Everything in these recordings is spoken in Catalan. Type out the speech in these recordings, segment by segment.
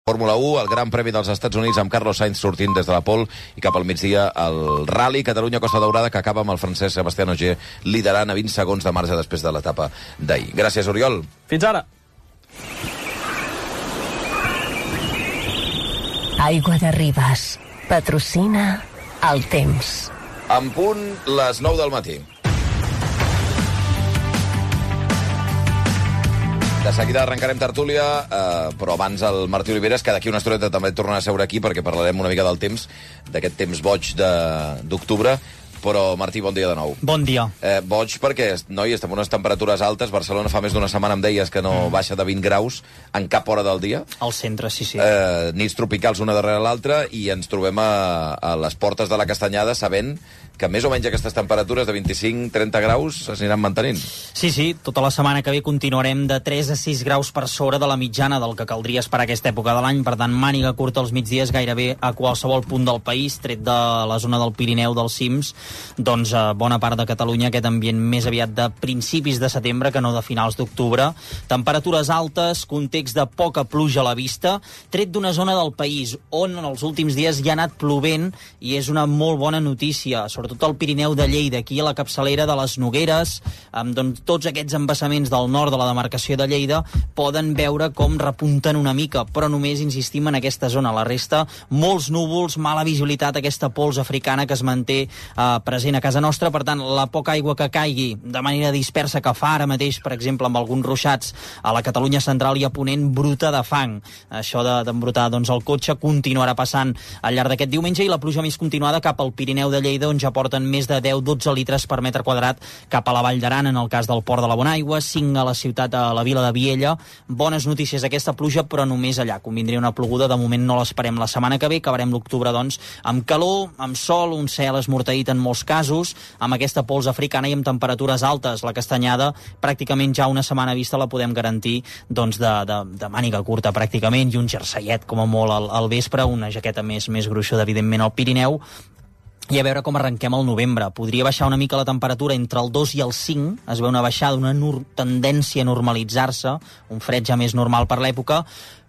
Fórmula 1, el Gran Premi dels Estats Units amb Carlos Sainz sortint des de la pole i cap al migdia el Rally Catalunya-Costa Daurada que acaba amb el francès Sebastián Ogier liderant a 20 segons de marge després de l'etapa d'ahir. Gràcies, Oriol. Fins ara. Aigua de Ribes. Patrocina el temps. En punt les 9 del matí. De seguida arrencarem tertúlia, però abans el Martí Oliveres, que d'aquí una estoneta també tornarà a seure aquí perquè parlarem una mica del temps, d'aquest temps boig d'octubre. Però, Martí, bon dia de nou. Bon dia. Boig perquè, noi, estem en unes temperatures altes. Barcelona fa més d'una setmana em deies que no baixa de 20 graus en cap hora del dia. Al centre, sí. Nits tropicals una darrere l'altra i ens trobem a les portes de la Castanyada sabent que més o menys aquestes temperatures de 25-30 graus s'aniran mantenint. Sí, tota la setmana que ve continuarem de 3 a 6 graus per sobre de la mitjana del que caldria esperar aquesta època de l'any. Per tant, màniga curta als migdies gairebé a qualsevol punt del país, tret de la zona del Pirineu, dels cims, doncs a bona part de Catalunya aquest ambient més aviat de principis de setembre que no de finals d'octubre. Temperatures altes, context de poca pluja a la vista, tret d'una zona del país on en els últims dies hi ha anat plovent i és una molt bona notícia, sobretot al Pirineu de Lleida, aquí a la capçalera de les Nogueres, doncs tots aquests embassaments del nord de la demarcació de Lleida poden veure com repunten una mica, però només insistim en aquesta zona. La resta, molts núvols, mala visibilitat, aquesta pols africana que es manté present a casa nostra. Per tant, la poca aigua que caigui de manera dispersa que fa ara mateix, per exemple, amb alguns ruixats a la Catalunya central i a Ponent, bruta de fang. Això d'embrutar el cotxe continuarà passant al llarg d'aquest diumenge i la pluja més continuada cap al Pirineu de Lleida, on ja porten més de 10-12 litres per metre quadrat cap a la Vall d'Aran, en el cas del Port de la Bonaigua, 5 a la ciutat, a la vila de Viella. Bones notícies aquesta pluja, però només allà. Convindria una ploguda, de moment no l'esperem la setmana que ve, acabarem l'octubre, doncs, amb calor, amb sol, un cel esmorteït en molts casos, amb aquesta pols africana i amb temperatures altes. La Castanyada, pràcticament ja una setmana vista, la podem garantir doncs de màniga curta, pràcticament, i un jerseiet, com a molt, al vespre, una jaqueta més gruixuda, evidentment, al Pirineu, i a veure com arrenquem el novembre. Podria baixar una mica la temperatura entre el 2 i el 5, es veu una baixada, una tendència a normalitzar-se, un fred ja més normal per l'època,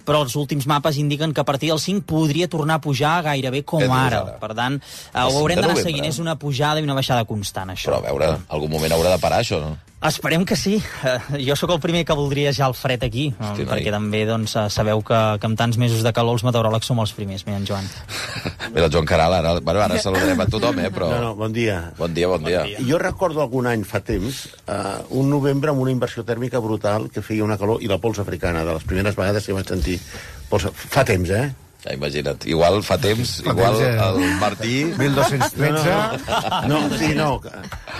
però els últims mapes indiquen que a partir del 5 podria tornar a pujar gairebé com ara. Per tant, ho haurem d'anar seguint. És una pujada i una baixada constant, això. Però a veure, algun moment haurà de parar, això, no? Esperem que sí. Jo sóc el primer que voldria ja el fred aquí, perquè també sabeu que amb tants mesos de calor els meteoròlegs som els primers. Mira, en Joan. Mira, el Joan Caral, ara saludarem a tothom, però... No, bon dia. Bon dia. Jo recordo algun any fa temps, un novembre amb una inversió tèrmica brutal que feia una calor, i la pols africana, de les primeres vegades que vaig sentir pols... Fa temps, Ja, imagina't. Igual fa temps, igual el Martí... 1213... No.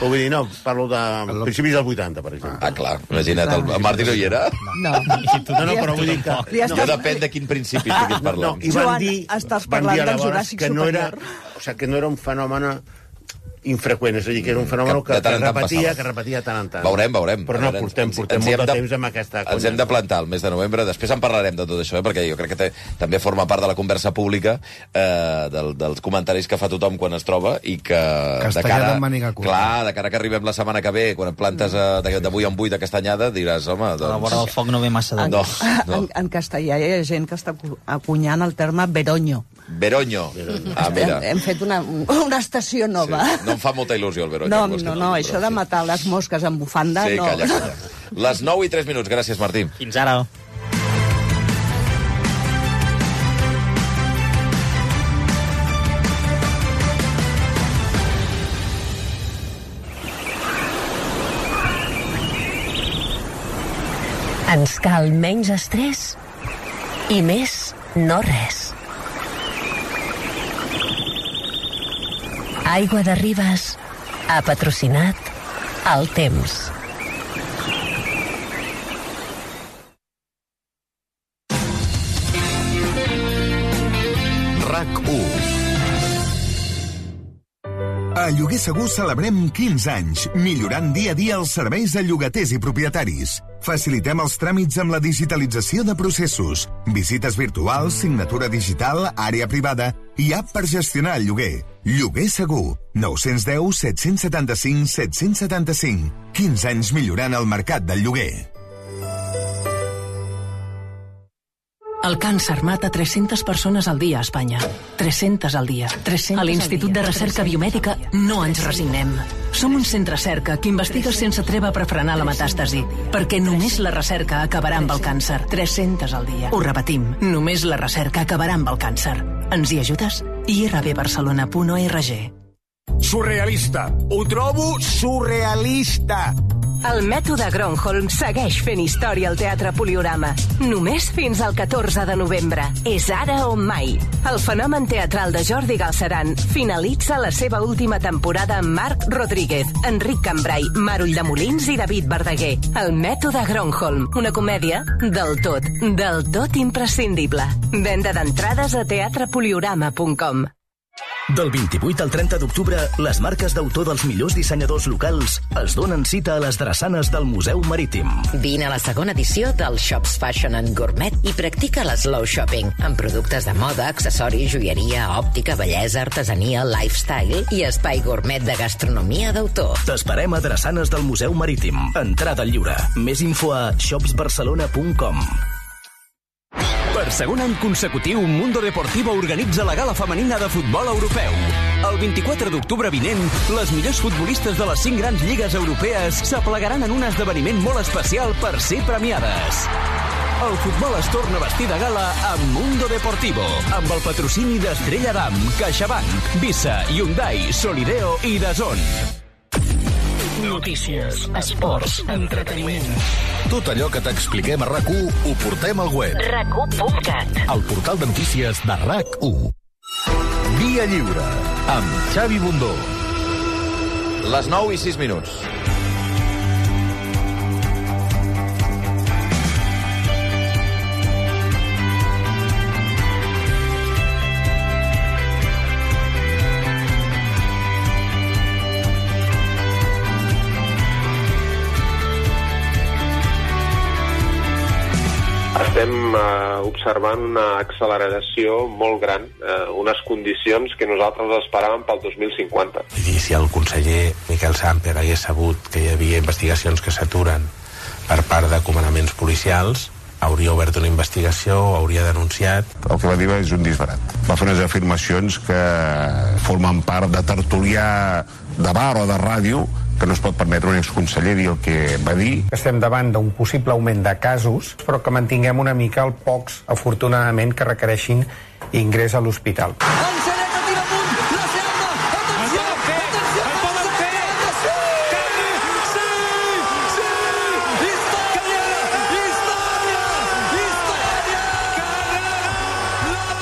Ho vull dir, no, parlo de principis del 80, per exemple. Clar, imagina't, el Martí no hi era? No, però vull dir que... Ja depèn de quin principi estiguis parlant. I van dir aleshores que no era... O sigui, que no era un fenomen infreqüent, és a dir, que era un fenomen que repetia tant en tant. Veurem. Però no, portem molt de temps amb aquesta conya. Ens hem de plantar el mes de novembre, després en parlarem de tot això, perquè jo crec que també forma part de la conversa pública, dels comentaris que fa tothom quan es troba, i que de cara que arribem la setmana que ve, quan et plantes d'avui en 8 de Castanyada, diràs, home... A la vora del foc no ve massa de... En castellà hi ha gent que està acunyant el terme veronyo. Veronyo. Mira. Hem fet una estació nova. No em fa molta il·lusió el veronyo. No, això de matar les mosques amb bufanda, no. Sí, calla. Les 9 i 3 minuts. Gràcies, Martí. Fins ara. Ens cal menys estrès i més no res. Aigua de Ribes ha patrocinat el temps. RAC1. A Lloguer Segur celebrem 15 anys, millorant dia a dia els serveis de llogaters i propietaris. Facilitem els tràmits amb la digitalització de processos, visites virtuals, signatura digital, àrea privada i app per gestionar el lloguer. Lloguer Segur, 910 775 775. 15 anys millorant el mercat del lloguer. El càncer mata 300 persones al dia a Espanya. 300 al dia. 300 a l'Institut de Recerca Biomèdica no ens resignem. Som un centre cerca que investiga sense treva per frenar la metàstasi, perquè només la recerca acabarà amb el càncer. 300 al dia. Ho repetim, només la recerca acabarà amb el càncer. Ens hi ajudes? irbbarcelona.org. Surrealista. Ho trobo surrealista. El mètode Gronholm segueix fent història al Teatre Poliorama. Només fins al 14 de novembre. És ara o mai. El fenomen teatral de Jordi Galceran finalitza la seva última temporada amb Marc Rodríguez, Enric Cambrai, Mar Ulldemolins i David Verdaguer. El mètode Gronholm, una comèdia del tot imprescindible. Venda d'entrades a teatrepoliorama.com. Del 28 al 30 d'octubre, les marques d'autor dels millors dissenyadors locals es donen cita a les drassanes del Museu Marítim. Vine a la segona edició del Shops Fashion and Gourmet i practica l'slow shopping, amb productes de moda, accessoris, joieria, òptica, bellesa, artesania, lifestyle i espai gourmet de gastronomia d'autor. T'esperem a drassanes del Museu Marítim. Entrada lliure. Més info a shopsbarcelona.com. Per segon any consecutiu, Mundo Deportivo organitza la gala femenina de futbol europeu. El 24 d'octubre vinent, les millors futbolistes de les 5 grans lligues europees s'aplegaran en un esdeveniment molt especial per ser premiades. El futbol es torna a vestir de gala amb Mundo Deportivo, amb el patrocini d'Estrella Damm, CaixaBank, Visa, Hyundai, Solideo i DAZN. Notícies, esports, entreteniment. Tot allò que t'expliquem a RAC1 ho portem al web. RAC1.cat. El portal de notícies de RAC1. Via Lliure, amb Xavi Bundó. Les 9:06. Estem observant una acceleració molt gran, unes condicions que nosaltres esperàvem pel 2050. I si el conseller Miquel Samper hagués sabut que hi havia investigacions que s'aturen per part de comandaments policials, hauria obert una investigació, hauria denunciat. El que va dir és un disbarat. Va fer unes afirmacions que formen part de tertulià de bar o de ràdio, que no es pot permetre un exconseller dir el que va dir. Estem davant d'un possible augment de casos, però que mantinguem una mica el pocs, afortunadament, que requereixin ingrés a l'hospital.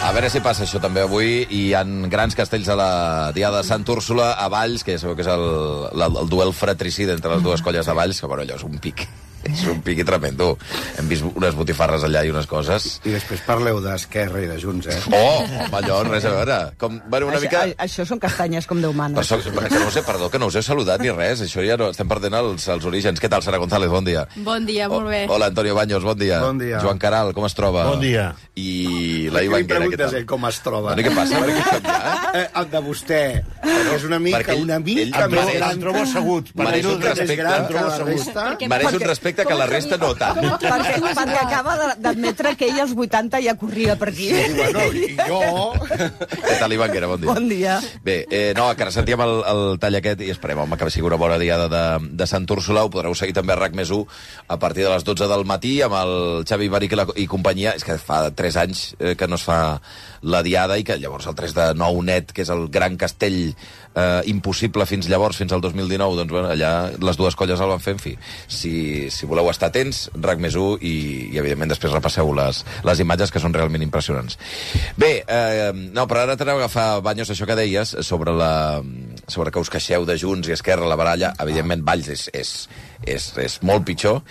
A veure si passa això també avui. Hi ha grans castells a la Diada de Sant Úrsula, a Valls, que ja sabeu que és el duel fratricida entre les dues colles de Valls, que bueno, allò és un pic. És un piqui tremendo. Hem vist unes botifarres allà i unes coses. I després parleu d'Esquerra i de Junts, eh? Oh, home, allò, res a veure. Com, bueno, una mica... Això són castanyes com Déu mana. Que no us he, perdó, que no us he saludat ni res. Això ja no, estem perdent els orígens. Què tal, Sara González? Bon dia. Bon dia, molt bé. Hola, Antonio Baños, bon dia. Bon dia. Joan Caral, com es troba? Bon dia. I la Ivanguera, què tal? Ell com es troba. Què passa? Per què canviar? El de vostè. És una mica més gran. El trobo assegut. Mereix un respecte que la resta no tant. Perquè acaba d'admetre que ell als 80 ja corria per aquí. Sí, bueno, i jo... Què tal, Ivanguera? Bon dia. Bon dia. Bé, no, que ara sentíem el tall aquest i esperem, home, que sigui una bona diada de Sant Úrsula. Ho podreu seguir també a RAC+1 a partir de les 12 del matí amb el Xavi Ibàric i companyia. És que fa 3 anys que no es fa la diada i que llavors el 3 de 9 net, que és el gran castell impossible fins llavors, fins al 2019, doncs bueno, allà les dues colles el van fer, en fi. Si voleu estar atents, RAC+1 i evidentment després repasseu les imatges que són realment impressionants. Bé, no, però ara t'aneu a agafar, Baños, això que deies sobre que us queixeu de Junts i Esquerra, la baralla. Evidentment, Valls és molt pitjor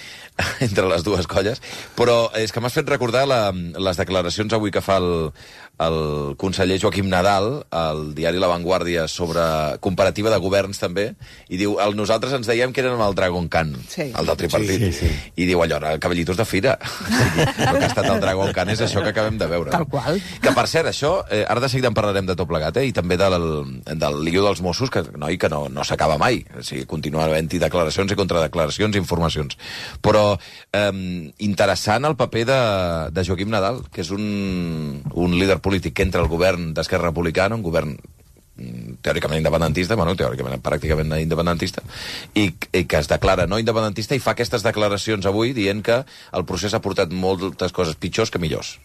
entre les dues colles, però és que m'has fet recordar les declaracions avui que fa el conseller Joaquim Nadal al diari La Vanguardia sobre comparativa de governs també, i diu, nosaltres ens dèiem que érem el Dragon Khan, sí, el del tripartit, sí. I diu allò, cavallitos de fira. El que ha estat el Dragon Khan és això que acabem de veure. Tal qual. Que per cert, això, ara de seguida en parlarem de tot plegat, i també del lío dels Mossos, que no s'acaba mai. O sigui, continua havent-hi declaracions i contradeclaracions declaracions i informacions. Però interessant el paper de Joaquim Nadal, que és un líder polític que entra al govern d'Esquerra Republicana, un govern teòricament independentista, teòricament pràcticament independentista, i que es declara no independentista i fa aquestes declaracions avui dient que el procés ha portat moltes coses pitjors que millors.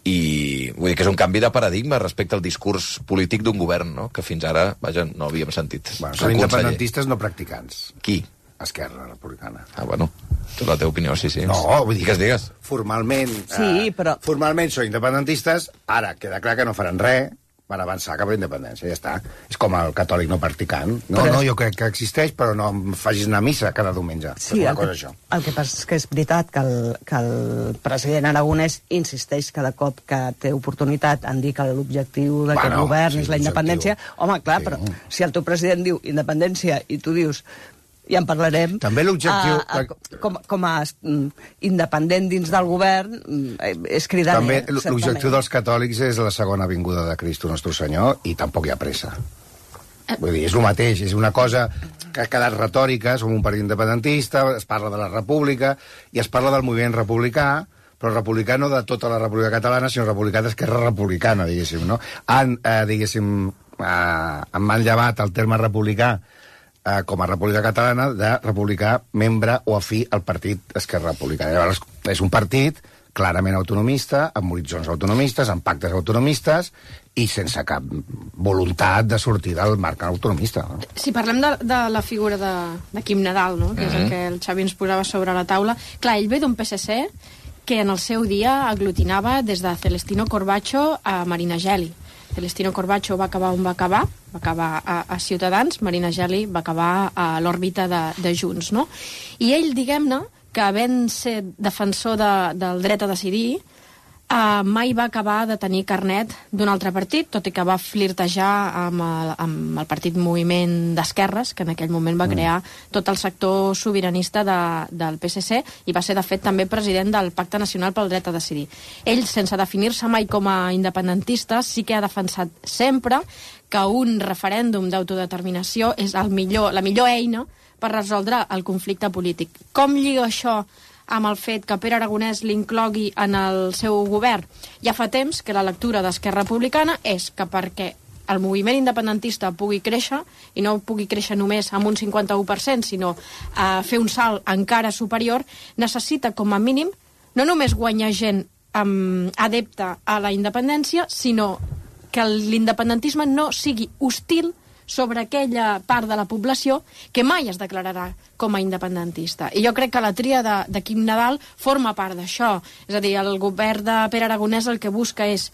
I vull dir que és un canvi de paradigma respecte al discurs polític d'un govern, no? Que fins ara, vaja, no havíem sentit. Són independentistes no practicants. Qui? Esquerra Republicana. Tu la teva opinió, sí. No, vull dir que es digues. Formalment, formalment són independentistes, ara queda clar que no faran res per avançar cap a la independència, ja està. És com el catòlic no practicant. No, jo crec que existeix, però no em facis anar a missa cada diumenge. Sí, el que passa és que és veritat que el president Aragonès insisteix cada cop que té oportunitat en dir que l'objectiu d'aquest govern és la independència. Home, clar, però si el teu president diu independència i tu dius ja en parlarem. També l'objectiu... Com a independent dins del govern és cridaner. També l'objectiu dels catòlics és la segona vinguda de Cristo Nostre Senyor i tampoc hi ha pressa. Vull dir, és el mateix, és una cosa que ha quedat retòrica, som un partit independentista, es parla de la república i es parla del moviment republicà, però republicà no de tota la república catalana, sinó republicà d'Esquerra Republicana, diguéssim, no? Em van llevat el terme republicà com a República Catalana de republicà membre o afí al partit Esquerra Republicana. Llavors, és un partit clarament autonomista, amb horitzons autonomistes, amb pactes autonomistes i sense cap voluntat de sortir del marc autonomista. No? Si parlem de la figura de Quim Nadal, no? Que és el que el Xavi ens posava sobre la taula, clar, ell ve d'un PSC que en el seu dia aglutinava des de Celestino Corbacho a Marina Geli. Celestino Corbacho va acabar on va acabar a Ciutadans, Marina Geli va acabar a l'òrbita de Junts, no? I ell, diguem-ne, que havent ser defensor del dret a decidir, mai va acabar de tenir carnet d'un altre partit, tot i que va flirtejar amb el partit Moviment d'Esquerres, que en aquell moment va crear tot el sector sobiranista del PSC i va ser, de fet, també president del Pacte Nacional pel Dret a Decidir. Ell, sense definir-se mai com a independentista, sí que ha defensat sempre que un referèndum d'autodeterminació és la millor eina per resoldre el conflicte polític. Com lliga això amb el fet que Pere Aragonès l'inclogui en el seu govern? Ja fa temps que la lectura d'Esquerra Republicana és que perquè el moviment independentista pugui créixer, i no pugui créixer només amb un 51%, sinó fer un salt encara superior, necessita com a mínim no només guanyar gent adepta a la independència, sinó que l'independentisme no sigui hostil sobre aquella part de la població que mai es declararà com a independentista. I jo crec que la tria de Quim Nadal forma part d'això. És a dir, el govern de Pere Aragonès el que busca és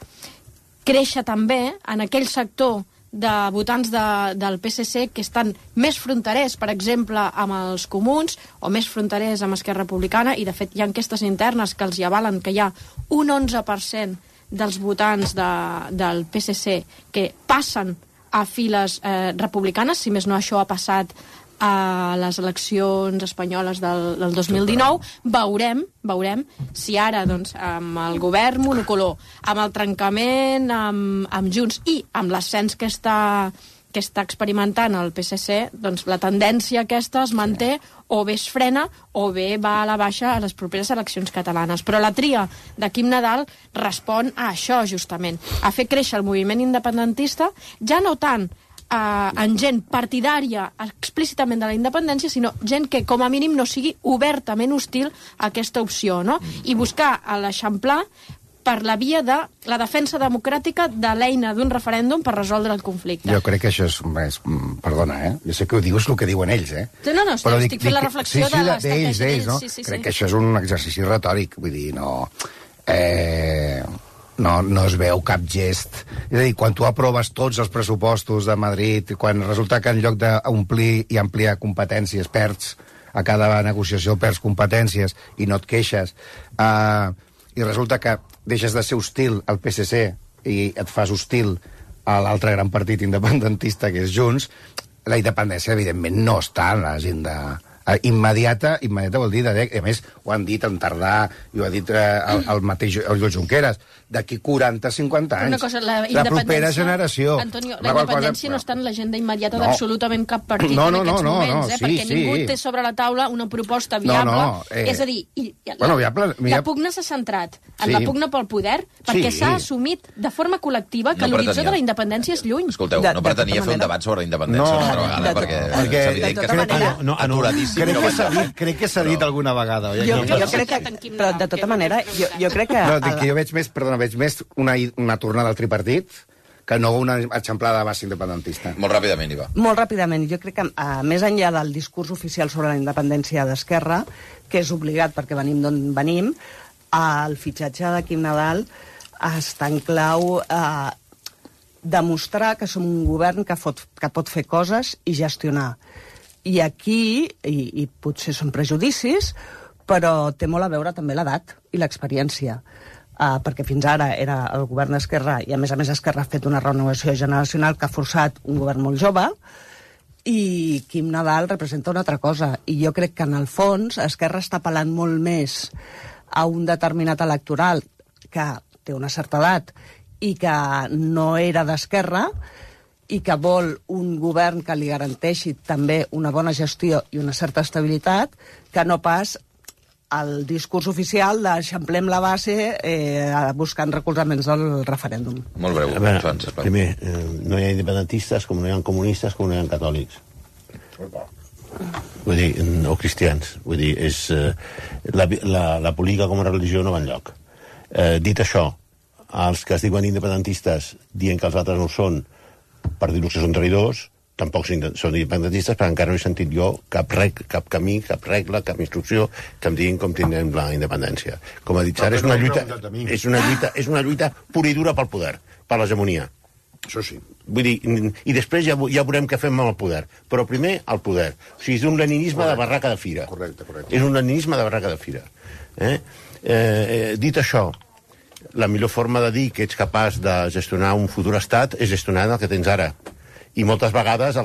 créixer també en aquell sector de votants del PSC que estan més fronterers, per exemple, amb els comuns, o més fronterers amb Esquerra Republicana, i de fet hi ha enquestes internes que els hi avalen que hi ha un 11% dels votants del PSC que passen a files republicanes, si més no això ha passat a les eleccions espanyoles del 2019, veurem si ara, doncs, amb el govern monocolor, amb el trencament amb Junts i amb l'ascens que està experimentant el PSC, doncs la tendència aquesta es manté o bé es frena o bé va a la baixa a les properes eleccions catalanes. Però la tria de Quim Nadal respon a això, justament, a fer créixer el moviment independentista, ja no tant en gent partidària explícitament de la independència, sinó gent que com a mínim no sigui obertament hostil a aquesta opció, no? I buscar l'eixamplar per la via de la defensa democràtica de l'eina d'un referèndum per resoldre el conflicte. Jo crec que això és perdona, jo sé que ho dius el que diuen ells, No, estic fent la reflexió de l'estratègia d'ells, no? Crec que això és un exercici retòric, vull dir, no es veu cap gest. És a dir, quan tu aproves tots els pressupostos de Madrid, quan resulta que en lloc d'omplir i ampliar competències perds a cada negociació, perds competències i no et queixes, i resulta que deixes de ser hostil al PSC i et fas hostil a l'altre gran partit independentista que és Junts, la independència evidentment no està en l'agenda Immediata vol dir, a més, ho han dit en Tardà, i ho ha dit el mateix Oriol Junqueras, d'aquí 40-50 anys. Una cosa, la propera generació. Antonio, la independència no està en l'agenda immediata d'absolutament cap partit en aquests moments, perquè ningú té sobre la taula una proposta viable. És a dir, la pugna s'ha centrat en la pugna pel poder perquè s'ha assumit de forma col·lectiva que l'horitzó de la independència és lluny. Escolteu, no pretenia fer un debat sobre la independència una altra vegada, perquè és evident que està aturadíssim. Crec que s'ha dit alguna vegada. Jo crec que, però de tota manera, jo crec que... No, dic que jo veig més una tornada al tripartit que no una eixamplada de base independentista. Molt ràpidament, Iva. Molt ràpidament. Jo crec que, més enllà del discurs oficial sobre la independència d'Esquerra, que és obligat perquè venim d'on venim, el fitxatge de Quim Nadal està en clau demostrar que som un govern que pot fer coses i gestionar. I aquí, i potser són prejudicis, però té molt a veure també l'edat i l'experiència. Perquè fins ara era el govern d'Esquerra, i a més Esquerra ha fet una renovació generacional que ha forçat un govern molt jove, i Quim Nadal representa una altra cosa. I jo crec que, en el fons, Esquerra està apel·lant molt més a un determinat electoral que té una certa edat i que no era d'Esquerra, i que vol un govern que li garanteixi també una bona gestió i una certa estabilitat, que no pas el discurs oficial d'eixamplem la base buscant recolzaments del referèndum. Molt breu, Joan, sisplau. Primer, no hi ha independentistes, com no hi ha comunistes, com no hi ha catòlics. Vull dir, o cristians. Vull dir, la política com a religió no va enlloc. Dit això, els que es diuen independentistes dient que els altres no ho són, per dir-los que són traïdors, tampoc són independentistes, però encara no he sentit jo cap camí, cap regla, cap instrucció que em diguin com tindrem la independència. Com ha dit Sara, és una lluita pura i dura pel poder, per l'hegemonia. Això sí. Vull dir, i després ja veurem què fem amb el poder. Però primer, el poder. O sigui, és un leninisme de barraca de fira. Correcte. És un leninisme de barraca de fira. Dit això, la millor forma de dir que ets capaç de gestionar un futur estat és gestionar el que tens ara. I moltes vegades,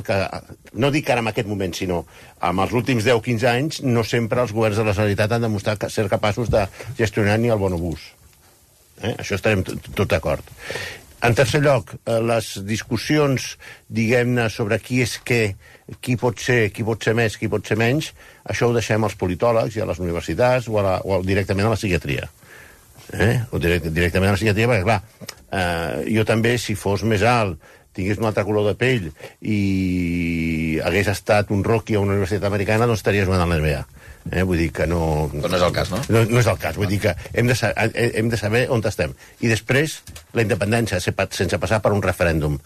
no dic ara en aquest moment, sinó en els últims 10-15 anys, no sempre els governs de la Generalitat han demostrat ser capaços de gestionar ni el bonobús. Això estarem tot d'acord. En tercer lloc, les discussions, diguem-ne, sobre qui és què, qui pot ser més, qui pot ser menys, això ho deixem als politòlegs i a les universitats o directament a la psiquiatria. O directament a la psiquiatria, perquè, clar, jo també, si fos més alt, tingués un altre color de pell i hagués estat un rookie a una universitat americana, doncs estaria jugant a l'NBA. Vull dir que no... Però no és el cas, no? No és el cas. Vull dir que hem de saber on estem. I després, la independència, sense passar per un referèndum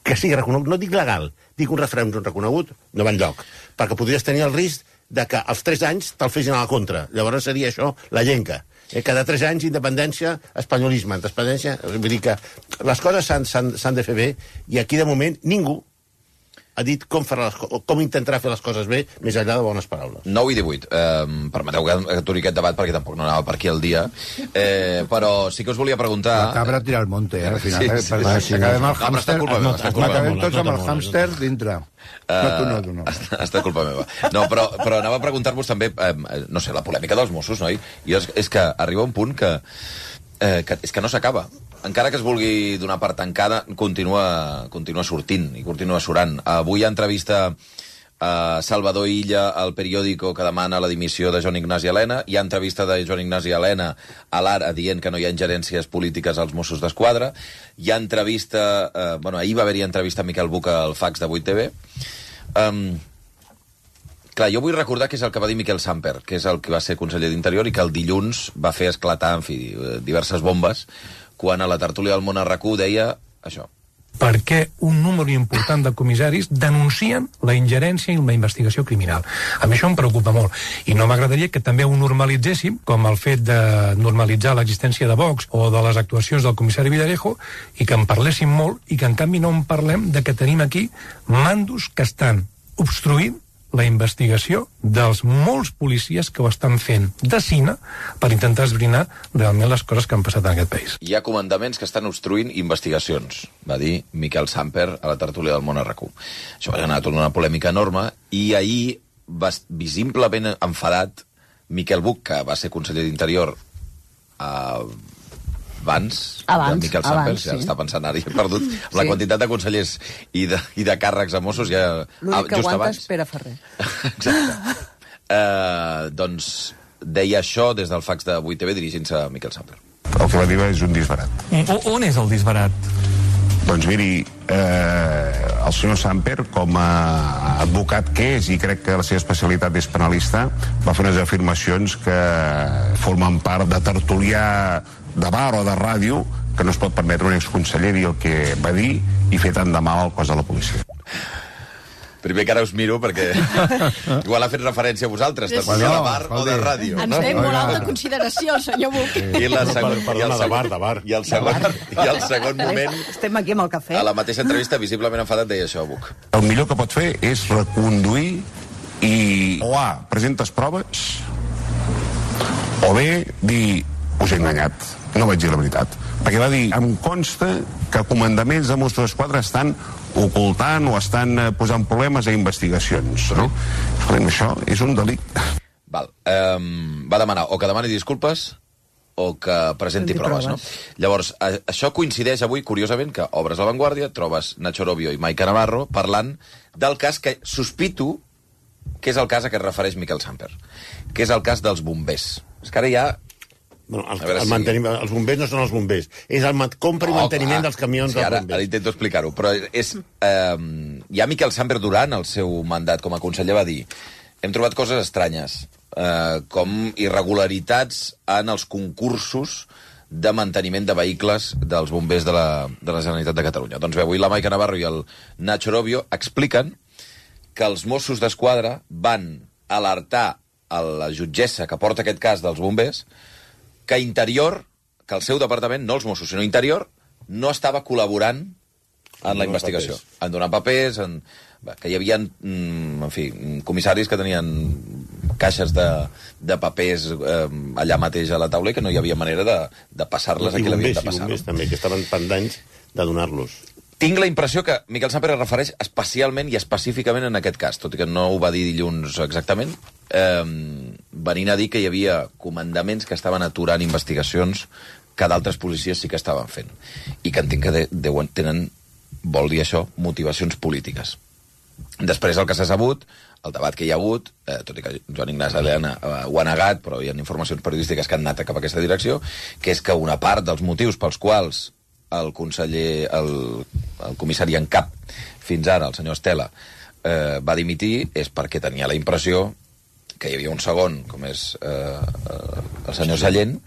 que sigui reconegut, no dic legal, dic un referèndum reconegut, no va enlloc. Perquè podries tenir el risc de que als 3 anys te'l fessin a la contra. Llavors seria això la llenca. Cada 3 anys, independència, espanyolisme. Vull dir que les coses s'han de fer bé, i aquí, de moment, ningú ha dit com intentarà fer les coses bé, més enllà de bones paraules. 9 i 18. Permeteu que aturi aquest debat, perquè tampoc no anava per aquí el dia. Però sí que us volia preguntar... La cabra tira al monte, al final. Sí. Acabem tots amb el hàmster dintre. No. Ha estat culpa meva. No, però anava a preguntar-vos també, no sé, la polèmica dels Mossos, noi? I és que arriba un punt que és que no s'acaba. Encara que es vulgui donar per tancada, continua sortint i continua surant. Avui hi ha entrevista a Salvador Illa al periòdico que demana la dimissió de Joan Ignasi Elena. Hi ha entrevista de Joan Ignasi Elena a l'Ara dient que no hi ha ingerències polítiques als Mossos d'Esquadra. Hi ha entrevista... ahir va haver-hi entrevista a Miquel Buca al fax de 8TV. Clar, jo vull recordar que és el que va dir Miquel Samper, que és el que va ser conseller d'Interior i que el dilluns va fer esclatar, en fi, diverses bombes, quan a la tertúlia del Món a RAC1 deia això. Per què un número important de comissaris denuncien la ingerència en la investigació criminal? A mi això em preocupa molt. I no m'agradaria que també ho normalitzéssim, com el fet de normalitzar l'existència de Vox o de les actuacions del comissari Villarejo, i que en parléssim molt i que en canvi no en parlem de que tenim aquí mandos que estan obstruint la investigació dels molts policies que ho estan fent de cine per intentar esbrinar realment les coses que han passat en aquest país. Hi ha comandaments que estan obstruint investigacions, va dir Miquel Samper a la tertúlia del Món a RAC1. Això va generar tota una polèmica enorme, i ahir visiblement enfadat Miquel Buch, que va ser conseller d'Interior abans de Miquel Samper, ja està pensant ara, he perdut la quantitat de consellers i de càrrecs a Mossos ja l'únic que just aguanta abans. és Pere Ferrer. Exacte. Doncs deia això des del fax de 8TV dirigint-se a Miquel Samper. El que va dir és un disbarat. On és el disbarat? Doncs miri, el senyor Samper, com a advocat que és, i crec que la seva especialitat és penalista, va fer unes afirmacions que formen part de tertulià de bar o de ràdio, que no es pot permetre un exconseller dir el que va dir i fer tant de mal al cos de la policia. Primer que ara us miro, perquè igual ha fet referència a vosaltres, de bar o de ràdio. Ens té molt alta consideració, el senyor Buch. I el segon moment, estem aquí amb el cafè. a la mateixa entrevista, visiblement enfadat, deia això, Buch. El millor que pot fer és reconduir i o A, presentes proves, o B, dir, us he enganyat, no vaig dir la veritat. Perquè va dir, em consta que comandaments de Mossos d'Esquadra estan ocultant o estan posant problemes a investigacions, no? Escolta'm, això és un delicte. Val. Va demanar o que demani disculpes o que presenti proves, no? Llavors, això coincideix avui, curiosament, que obres La Vanguardia, trobes Nacho Robio i Maica Navarro parlant del cas que sospito que és el cas a què es refereix Miquel Samper, que és el cas dels bombers. És que ara ja... Bueno, els bombers no són els bombers. És el compra i manteniment dels camions dels bombers. Ara intento explicar-ho. Però és... ja Miquel Samper, durant el seu mandat com a conseller, va dir: hem trobat coses estranyes, com irregularitats en els concursos de manteniment de vehicles dels bombers de la Generalitat de Catalunya. Doncs bé, avui la Maica Navarro i el Nacho Robio expliquen que els Mossos d'Esquadra van alertar a la jutgessa que porta aquest cas dels bombers que Interior, que el seu departament, no els Mossos, sinó Interior, no estava col·laborant en la investigació. En donar papers, que hi havia, en fi, comissaris que tenien caixes de papers allà mateix a la taula i que no hi havia manera de passar-les a qui l'havien de passar. I bombers també, que estaven pendents de donar-los. Tinc la impressió que Miquel Samper es refereix especialment i específicament en aquest cas, tot i que no ho va dir dilluns exactament, venint a dir que hi havia comandaments que estaven aturant investigacions que d'altres policies sí que estaven fent. I que entenc que tenen, vol dir això, motivacions polítiques. Després, el que s'ha sabut, el debat que hi ha hagut, tot i que Joan Ignasi Elena ho ha negat, però hi ha informacions periodístiques que han anat cap a aquesta direcció, que és que una part dels motius pels quals el conseller, el comissari en cap fins ara, el senyor Estela, va dimitir, és perquè tenia la impressió que hi havia un segon, com és el senyor Sallent,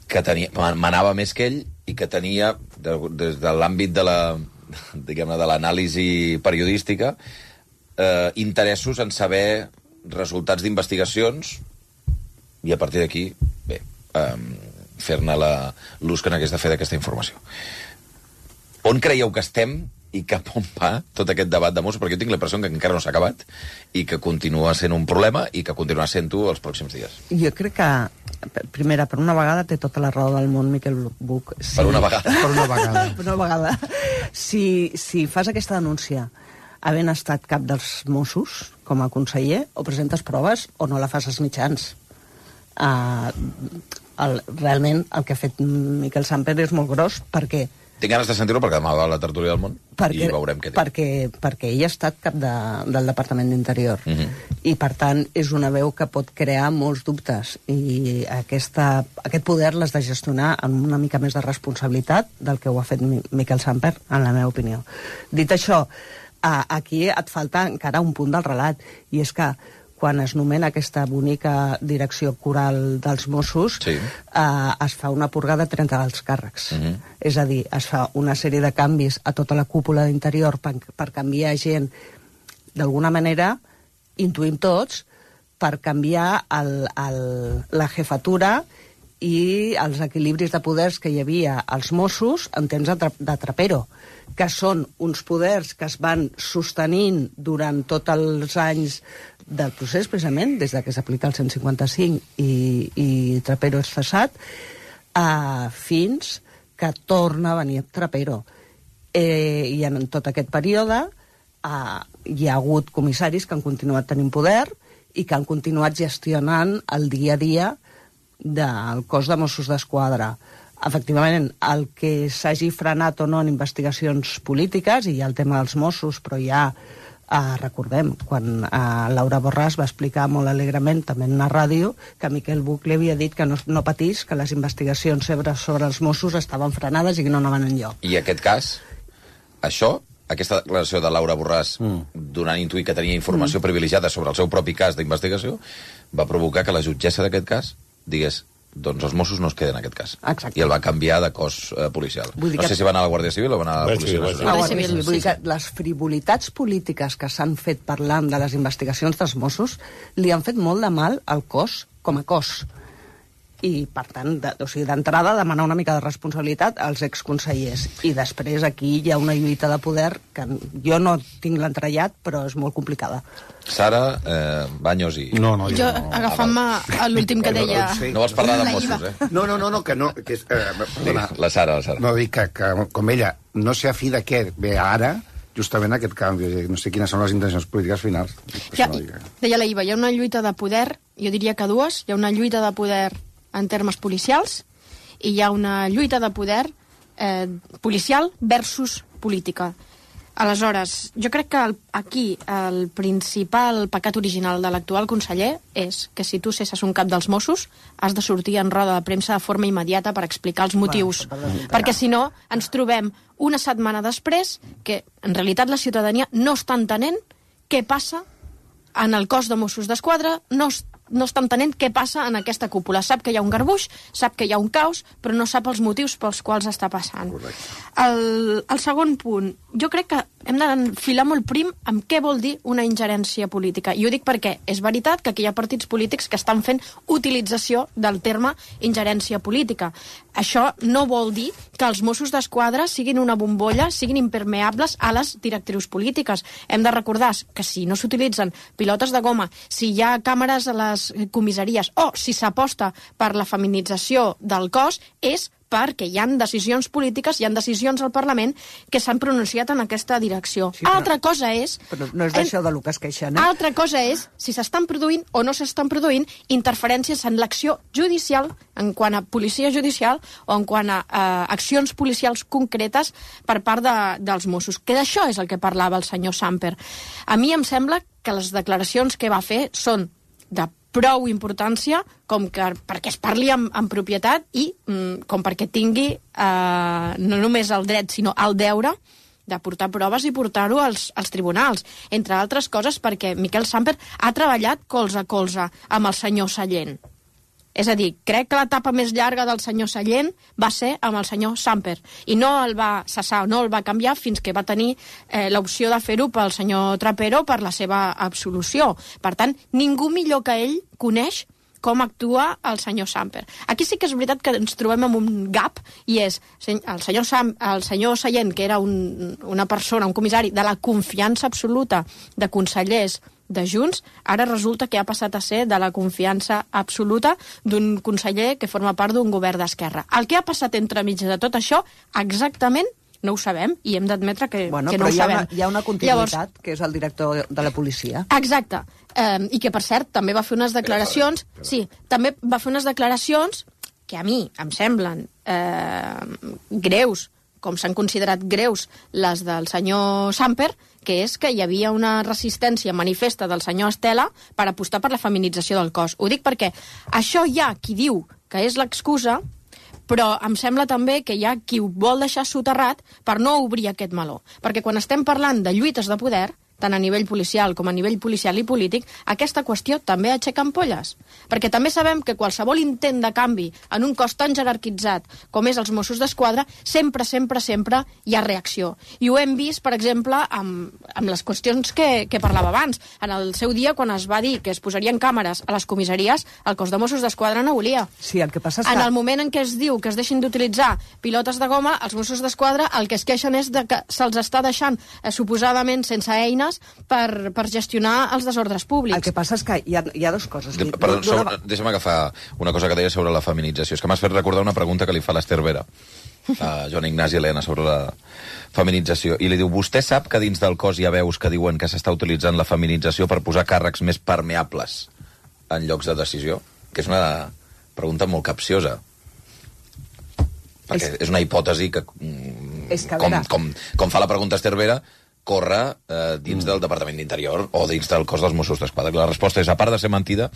que manava més que ell i que tenia, des de l'àmbit de l'anàlisi periodística, interessos en saber resultats d'investigacions i a partir d'aquí, bé, fer-ne l'ús que n'hagués de fer d'aquesta informació. On creieu que estem i cap on va tot aquest debat de Mossos? Perquè jo tinc la impressió que encara no s'ha acabat i que continua sent un problema i que continuarà sent-ho els pròxims dies. Jo crec que, primera, per una vegada té tota la raó del món Miquel Buch. Sí. Per una vegada. Per una vegada. Per una vegada. Si fas aquesta denúncia havent estat cap dels Mossos com a conseller, o presentes proves o no la fas als mitjans. Realment el que ha fet Miquel Samper és molt gros perquè... Tinc ganes de sentir-ho perquè demà va a la tertúlia del món i veurem què diu. Perquè ell ha estat cap del Departament d'Interior i per tant és una veu que pot crear molts dubtes i aquest poder l'has de gestionar amb una mica més de responsabilitat del que ho ha fet Miquel Samper, en la meva opinió. Dit això, aquí et falta encara un punt del relat i és que quan es nomena aquesta bonica direcció coral dels Mossos, es fa una purga de 30 alts càrrecs. És a dir, es fa una sèrie de canvis a tota la cúpula d'Interior per canviar gent, d'alguna manera, intuïm tots, per canviar la jefatura i els equilibris de poders que hi havia als Mossos en temps de Trapero, que són uns poders que es van sostenint durant tots els anys del procés, precisament, des que s'aplica el 155 i Trapero és cessat, fins que torna a venir Trapero. I en tot aquest període hi ha hagut comissaris que han continuat tenint poder i que han continuat gestionant el dia a dia del cos de Mossos d'Esquadra. Efectivament, el que s'hagi frenat o no en investigacions polítiques, i hi ha el tema dels Mossos, però ja recordem, quan Laura Borràs va explicar molt alegrement, també en una ràdio, que Miquel Buch li havia dit que no patís, que les investigacions sobre els Mossos estaven frenades i que no anaven enlloc. I aquest cas, aquesta declaració de Laura Borràs donant a intuir que tenia informació privilegiada sobre el seu propi cas d'investigació va provocar que la jutgessa d'aquest cas digués doncs els Mossos no es queden en aquest cas. Exacte. I el va canviar de cos policial. No sé si va anar a la Guàrdia Civil o va anar a la Policia Nacional. Vull dir que les frivolitats polítiques que s'han fet parlant de les investigacions dels Mossos li han fet molt de mal al cos com a cos. I, per tant, d'entrada, demanar una mica de responsabilitat als exconsellers. I després aquí hi ha una lluita de poder que jo no tinc l'entrellat, però és molt complicada. Sara, Baños i... Jo, agafant-me a l'últim que deia... No vols parlar de Mossos, eh? No, que no... Que és, perdona, la Sara. No, dic que com ella no sé a fi de què ve ara, justament aquest canvi. No sé quines són les intencions polítiques finals. Deia la Iva, hi ha una lluita de poder, jo diria que dues. Hi ha una lluita de poder en termes policials i hi ha una lluita de poder policial versus política. Aleshores, jo crec que aquí el principal pecat original de l'actual conseller és que si tu cesses un cap dels Mossos has de sortir en roda de premsa de forma immediata per explicar els motius. Perquè si no, ens trobem una setmana després que en realitat la ciutadania no està entenent què passa en el cos de Mossos d'Esquadra, no està entenent què passa en aquesta cúpula. Sap que hi ha un garbuix, sap que hi ha un caos, però no sap els motius pels quals està passant. El segon punt, jo crec que hem d'enfilar molt prim amb què vol dir una ingerència política. I ho dic perquè és veritat que aquí hi ha partits polítics que estan fent utilització del terme ingerència política. Això no vol dir que els Mossos d'Esquadra siguin una bombolla, siguin impermeables a les directrius polítiques. Hem de recordar que si no s'utilitzen pilotes de goma, si hi ha càmeres a les comissaries o si s'aposta per la feminització del cos, és perquè hi ha decisions polítiques, hi ha decisions al Parlament que s'han pronunciat en aquesta direcció. Sí, altra cosa és... Però no és d'això de lo que es queixen, eh? Altra cosa és si s'estan produint o no s'estan produint interferències en l'acció judicial, en quant a policia judicial o en quant a accions policials concretes per part dels Mossos. Que d'això és el que parlava el senyor Samper. A mi em sembla que les declaracions que va fer són de prou importància com que perquè es parli en propietat i com perquè tingui no només el dret sinó el deure de portar proves i portar-ho als tribunals. Entre altres coses perquè Miquel Samper ha treballat colze a colze amb el senyor Sallent. És a dir, crec que l'etapa més llarga del senyor Sallent va ser amb el senyor Samper i no el va cessar, no el va canviar fins que va tenir l'opció de fer-ho pel senyor Trapero per la seva absolució. Per tant, ningú millor que ell coneix com actua el senyor Samper. Aquí sí que és veritat que ens trobem amb un gap i és el senyor Sallent, que era una persona, un comissari de la confiança absoluta de consellers de Junts, ara resulta que ha passat a ser de la confiança absoluta d'un conseller que forma part d'un govern d'esquerra. El que ha passat entremig de tot això, exactament, no ho sabem, i hem d'admetre que no ho sabem. Hi ha una continuïtat, llavors, que és el director de la policia. Exacte. I que, per cert, també va fer unes declaracions... Sí, també va fer unes declaracions que a mi em semblen greus, com s'han considerat greus les del senyor Samper, que és que hi havia una resistència manifesta del senyor Estela per apostar per la feminització del cos. Ho dic perquè això hi ha qui diu que és l'excusa, però em sembla també que hi ha qui ho vol deixar soterrat per no obrir aquest meló. Perquè quan estem parlant de lluites de poder, tant a nivell policial com a nivell policial i polític, aquesta qüestió també aixeca ampolles. Perquè també sabem que qualsevol intent de canvi en un cos tan jerarquitzat com és els Mossos d'Esquadra, sempre hi ha reacció. I ho hem vist, per exemple, amb les qüestions que parlava abans. En el seu dia, quan es va dir que es posarien càmeres a les comissaries, el cos de Mossos d'Esquadra no volia. Sí, el que passa és que... En el moment en què es diu que es deixin d'utilitzar pilotes de goma, els Mossos d'Esquadra el que es queixen és de que se'ls està deixant suposadament sense eines per gestionar els desordres públics. El que passa és que hi ha dues coses. Perdó, deixa'm agafar una cosa que deia sobre la feminització. És que m'has fet recordar una pregunta que li fa l'Ester Vera a Joan Ignasi Elena sobre la feminització, i li diu, vostè sap que dins del cos hi ha veus que diuen que s'està utilitzant la feminització per posar càrrecs més permeables en llocs de decisió? Que és una pregunta molt capciosa. Perquè és una hipòtesi que, com fa la pregunta Esther Vera, corre dins del Departament d'Interior o dins del cos dels Mossos d'Esquadra. La resposta és, a part de ser mentida,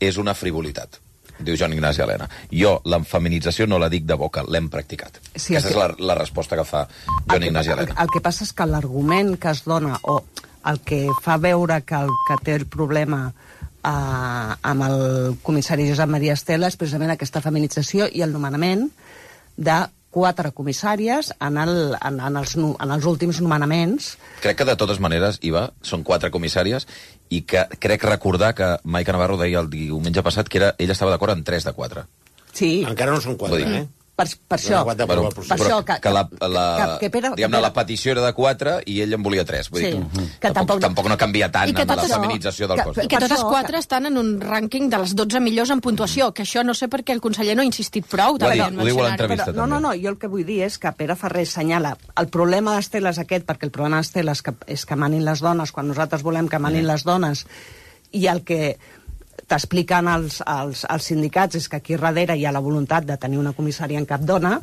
és una frivolitat, diu Joan Ignasi Elena. Jo, la feminització no la dic de boca, l'hem practicat. Sí, aquesta és la resposta que fa Joan Ignasi Elena. El que passa és que l'argument que es dona, o el que fa veure que el que té el problema amb el comissari Josep Maria Estela és precisament aquesta feminització i el nomenament de 4 comissàries en els últims nomenaments. Crec que de totes maneres, Iva, són 4 comissàries i que crec recordar que Maica Navarro deia el diumenge passat que ella estava d'acord en 3 de 4. Sí. Encara no són 4, eh? Per això, la petició era de 4 i ell en volia 3. Vull dir, tampoc no canvia tant en la feminització del cos. I que totes 4 estan en un rànquing de les 12 millors en puntuació, que això no sé per què el conseller no ha insistit prou. Ho diu a l'entrevista, també. No, jo el que vull dir és que Pere Ferrer assenyala el problema d'Estela és aquest, perquè el problema d'Estela és que manin les dones quan nosaltres volem que manin les dones, i el que t'expliquen els sindicats és que aquí darrere hi ha la voluntat de tenir una comissària en cap dona,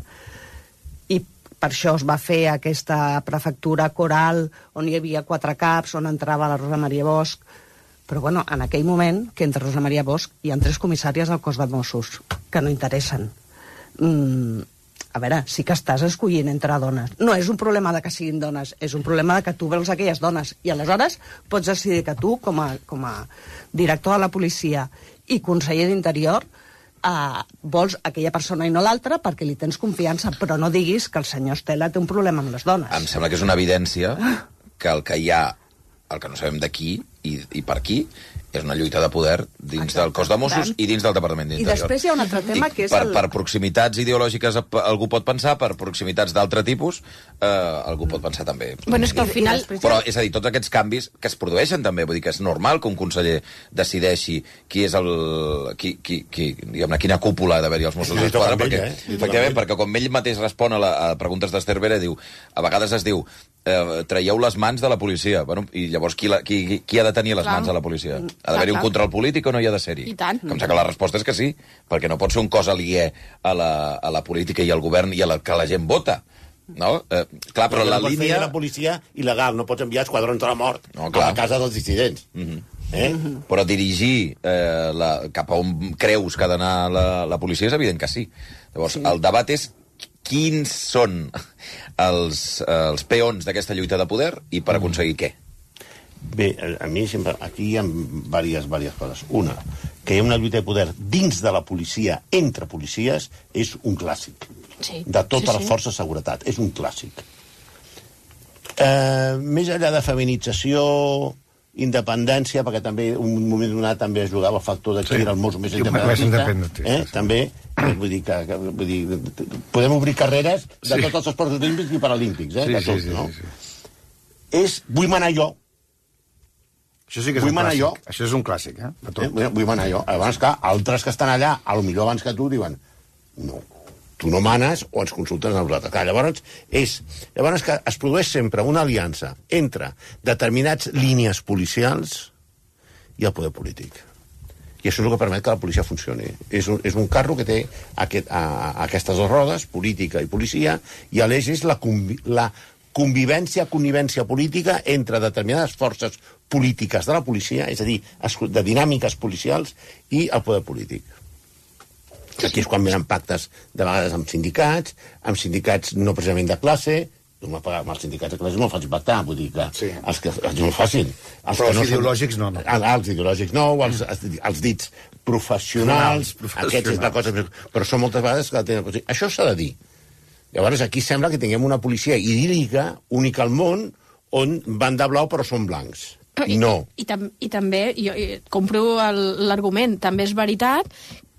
i per això es va fer aquesta prefectura coral on hi havia 4 caps, on entrava la Rosa Maria Bosch. Però bueno, en aquell moment que entre Rosa Maria Bosch hi ha 3 comissàries al cos de Mossos que no interessen. A veure, sí que estàs escollint entre dones. No és un problema de que siguin dones, és un problema de que tu veus aquelles dones. I aleshores pots decidir que tu, com a director de la policia i conseller d'Interior, vols aquella persona i no l'altra perquè li tens confiança, però no diguis que el senyor Estela té un problema amb les dones. Em sembla que és una evidència que el que hi ha, el que no sabem de qui i per qui, és una lluita de poder dins del cos de Mossos i dins del Departament d'Interior. I després hi ha un altre tema que és... Per proximitats ideològiques algú pot pensar, per proximitats d'altre tipus algú pot pensar també. Bueno, és que al final... Però, és a dir, tots aquests canvis que es produeixen també, vull dir que és normal que un conseller decideixi qui és diguem-ne, quina cúpula ha d'haver-hi als Mossos d'Esquadra, perquè, efectivament, perquè com ell mateix respon a preguntes d'Esther Vera, diu, a vegades es diu traieu les mans de la policia. Bueno, i llavors qui ha de tenir les mans de la policia? Ha d'haver-hi un control polític o no hi ha de ser-hi? I tant. Em sembla que la resposta és que sí, perquè no pot ser un cos aliè a la política i al govern i a la que la gent vota. No? Clar, però la línia... la policia il·legal, no pots enviar esquadrons de la mort a la casa dels dissidents. Però dirigir cap a on creus que ha d'anar la policia és evident que sí. Llavors, el debat és quins són els peons d'aquesta lluita de poder i per aconseguir què? Bé, a mi sempre... Aquí hi ha diverses coses. Una, que hi ha una lluita de poder dins de la policia, entre policies, és un clàssic. Sí. De totes les forces de seguretat. És un clàssic. Més enllà de feminització, independència, perquè també un moment donat també es jugava el factor de qui era el mos més independentista. També, vull dir, podem obrir carreres de tots els esports olímpics i paralímpics, de tots, no? Vull manar jo. Això sí que és un clàssic. Això és un clàssic, Vull manar jo. Abans que altres que estan allà, potser abans que tu, diuen no, tu no manes o ens consultes a nosaltres. Clar, llavors que es produeix sempre una aliança entre determinats línies policials i el poder polític. I això és el que permet que la policia funcioni. És un carro que té aquestes dues rodes, política i policia, i l'eix és la convivència política entre determinades forces polítiques de la policia, és a dir, de dinàmiques policials, i el poder polític. Aquí és quan venen pactes, de vegades amb sindicats no precisament de classe. Amb els sindicats de classe és molt fàcil pactar, vull dir que és molt fàcil. Però els ideològics no. Els ideològics no, els dits professionals, aquests és la cosa... Però són moltes vegades... Això s'ha de dir. Llavors aquí sembla que tinguem una policia idíl·lica, única al món, on van de blau però són blancs. No. I també, jo compro l'argument, també és veritat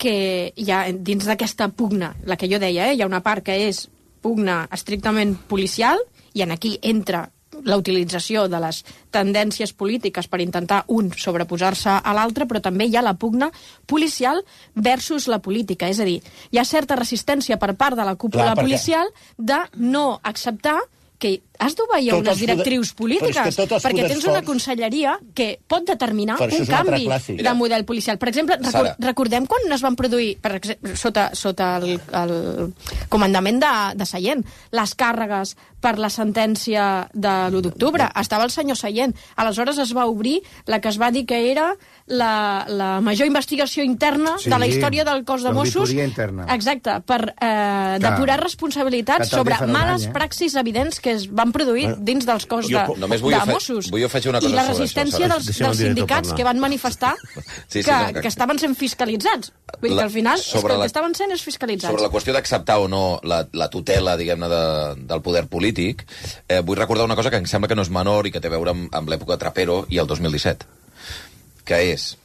que hi ha dins d'aquesta pugna, la que jo deia, hi ha una part que és pugna estrictament policial, i en aquí entra la utilització de les tendències polítiques per intentar un sobreposar-se a l'altre, però també hi ha la pugna policial versus la política. És a dir, hi ha certa resistència per part de la cúpula policial de no acceptar que has d'obeir unes directrius polítiques, perquè tens una conselleria que pot determinar un canvi de model policial. Per exemple, recordem quan es van produir, sota el comandament de Sallent, les càrregues per la sentència de l'1 d'octubre. Estava el senyor Sallent. Aleshores es va obrir la que es va dir que era la major investigació interna de la història del cos de Mossos. Exacte, per depurar responsabilitats sobre males praxis evidents que es van produir dins dels cos de Mossos. Vull afegir una cosa i la resistència dels sindicats que van manifestar que estaven sent fiscalitzats. Vull dir que al final el que estaven sent és fiscalitzats. Sobre la qüestió d'acceptar o no la tutela, diguem-ne, del poder polític, vull recordar una cosa que em sembla que no és menor i que té a veure amb l'època de Trapero i el 2017, que és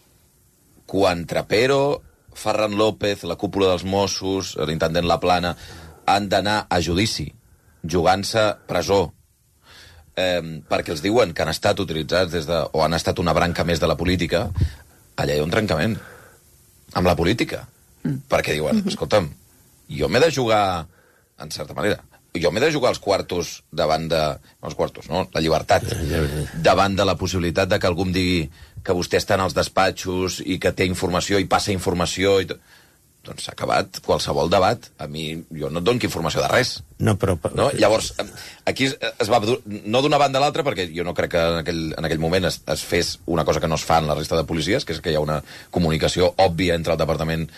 quan Trapero, Ferran López, la cúpula dels Mossos, l'intendent Laplana, han d'anar a judici jugant-se presó perquè els diuen que han estat utilitzats o han estat una branca més de la política, allà hi ha un trencament amb la política. Perquè diuen, escolta'm, jo m'he de jugar, en certa manera, jo m'he de jugar els quartos davant de... No els quartos, no? La llibertat. Davant de la possibilitat de que algú em digui que vostè està en els despatxos i que té informació i passa informació i tot. Doncs s'ha acabat qualsevol debat. A mi, jo no et dono informació de res. No, però... No? Llavors, aquí es va... No d'una banda a l'altra, perquè jo no crec que en aquell moment es fes una cosa que no es fa en la resta de policies, que és que hi ha una comunicació òbvia entre el departament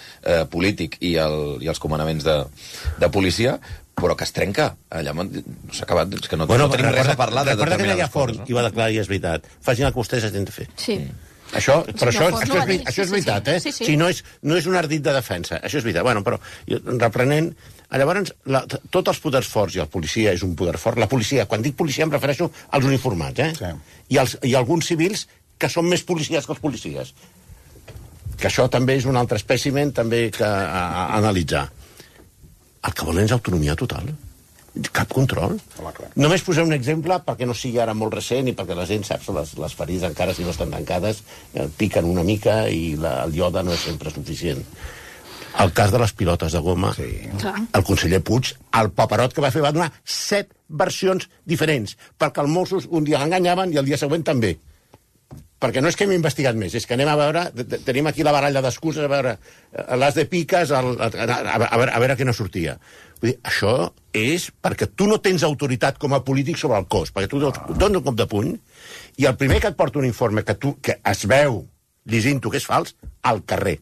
polític i els comandaments de policia, però que es trenca. Allà s'ha acabat, és que no tenim res a parlar de determinades coses. Recorda que Laia Forn i va declarar, i és veritat, facin el que vostès hagin de fer. Sí. Això és veritat, eh? Si no és un ardit de defensa. Això és veritat. Bueno, però, reprenent, llavors, tots els poders forts, i el policia és un poder fort, la policia, quan dic policia em refereixo als uniformats, eh? Sí. I alguns civils que són més policies que els policies. Que això també és un altre espècimen també que analitzar. El que volen és autonomia total. Cap control. Només posem un exemple perquè no sigui ara molt recent i perquè la gent sap les ferides encara si no estan tancades piquen una mica i el iode no és sempre suficient. El cas de les pilotes de goma, el conseller Puig, el paperot que va fer va donar 7 versions diferents perquè els Mossos un dia l'enganyaven i el dia següent també. Perquè no és que hem investigat més, és que anem a veure, tenim aquí la baralla d'excuses, a veure, les de piques, a veure què no sortia. Vull dir, això és perquè tu no tens autoritat com a polític sobre el cos, perquè tu dones un cop de puny i el primer que et porta un informe que es veu llegint-ho que és fals, al carrer.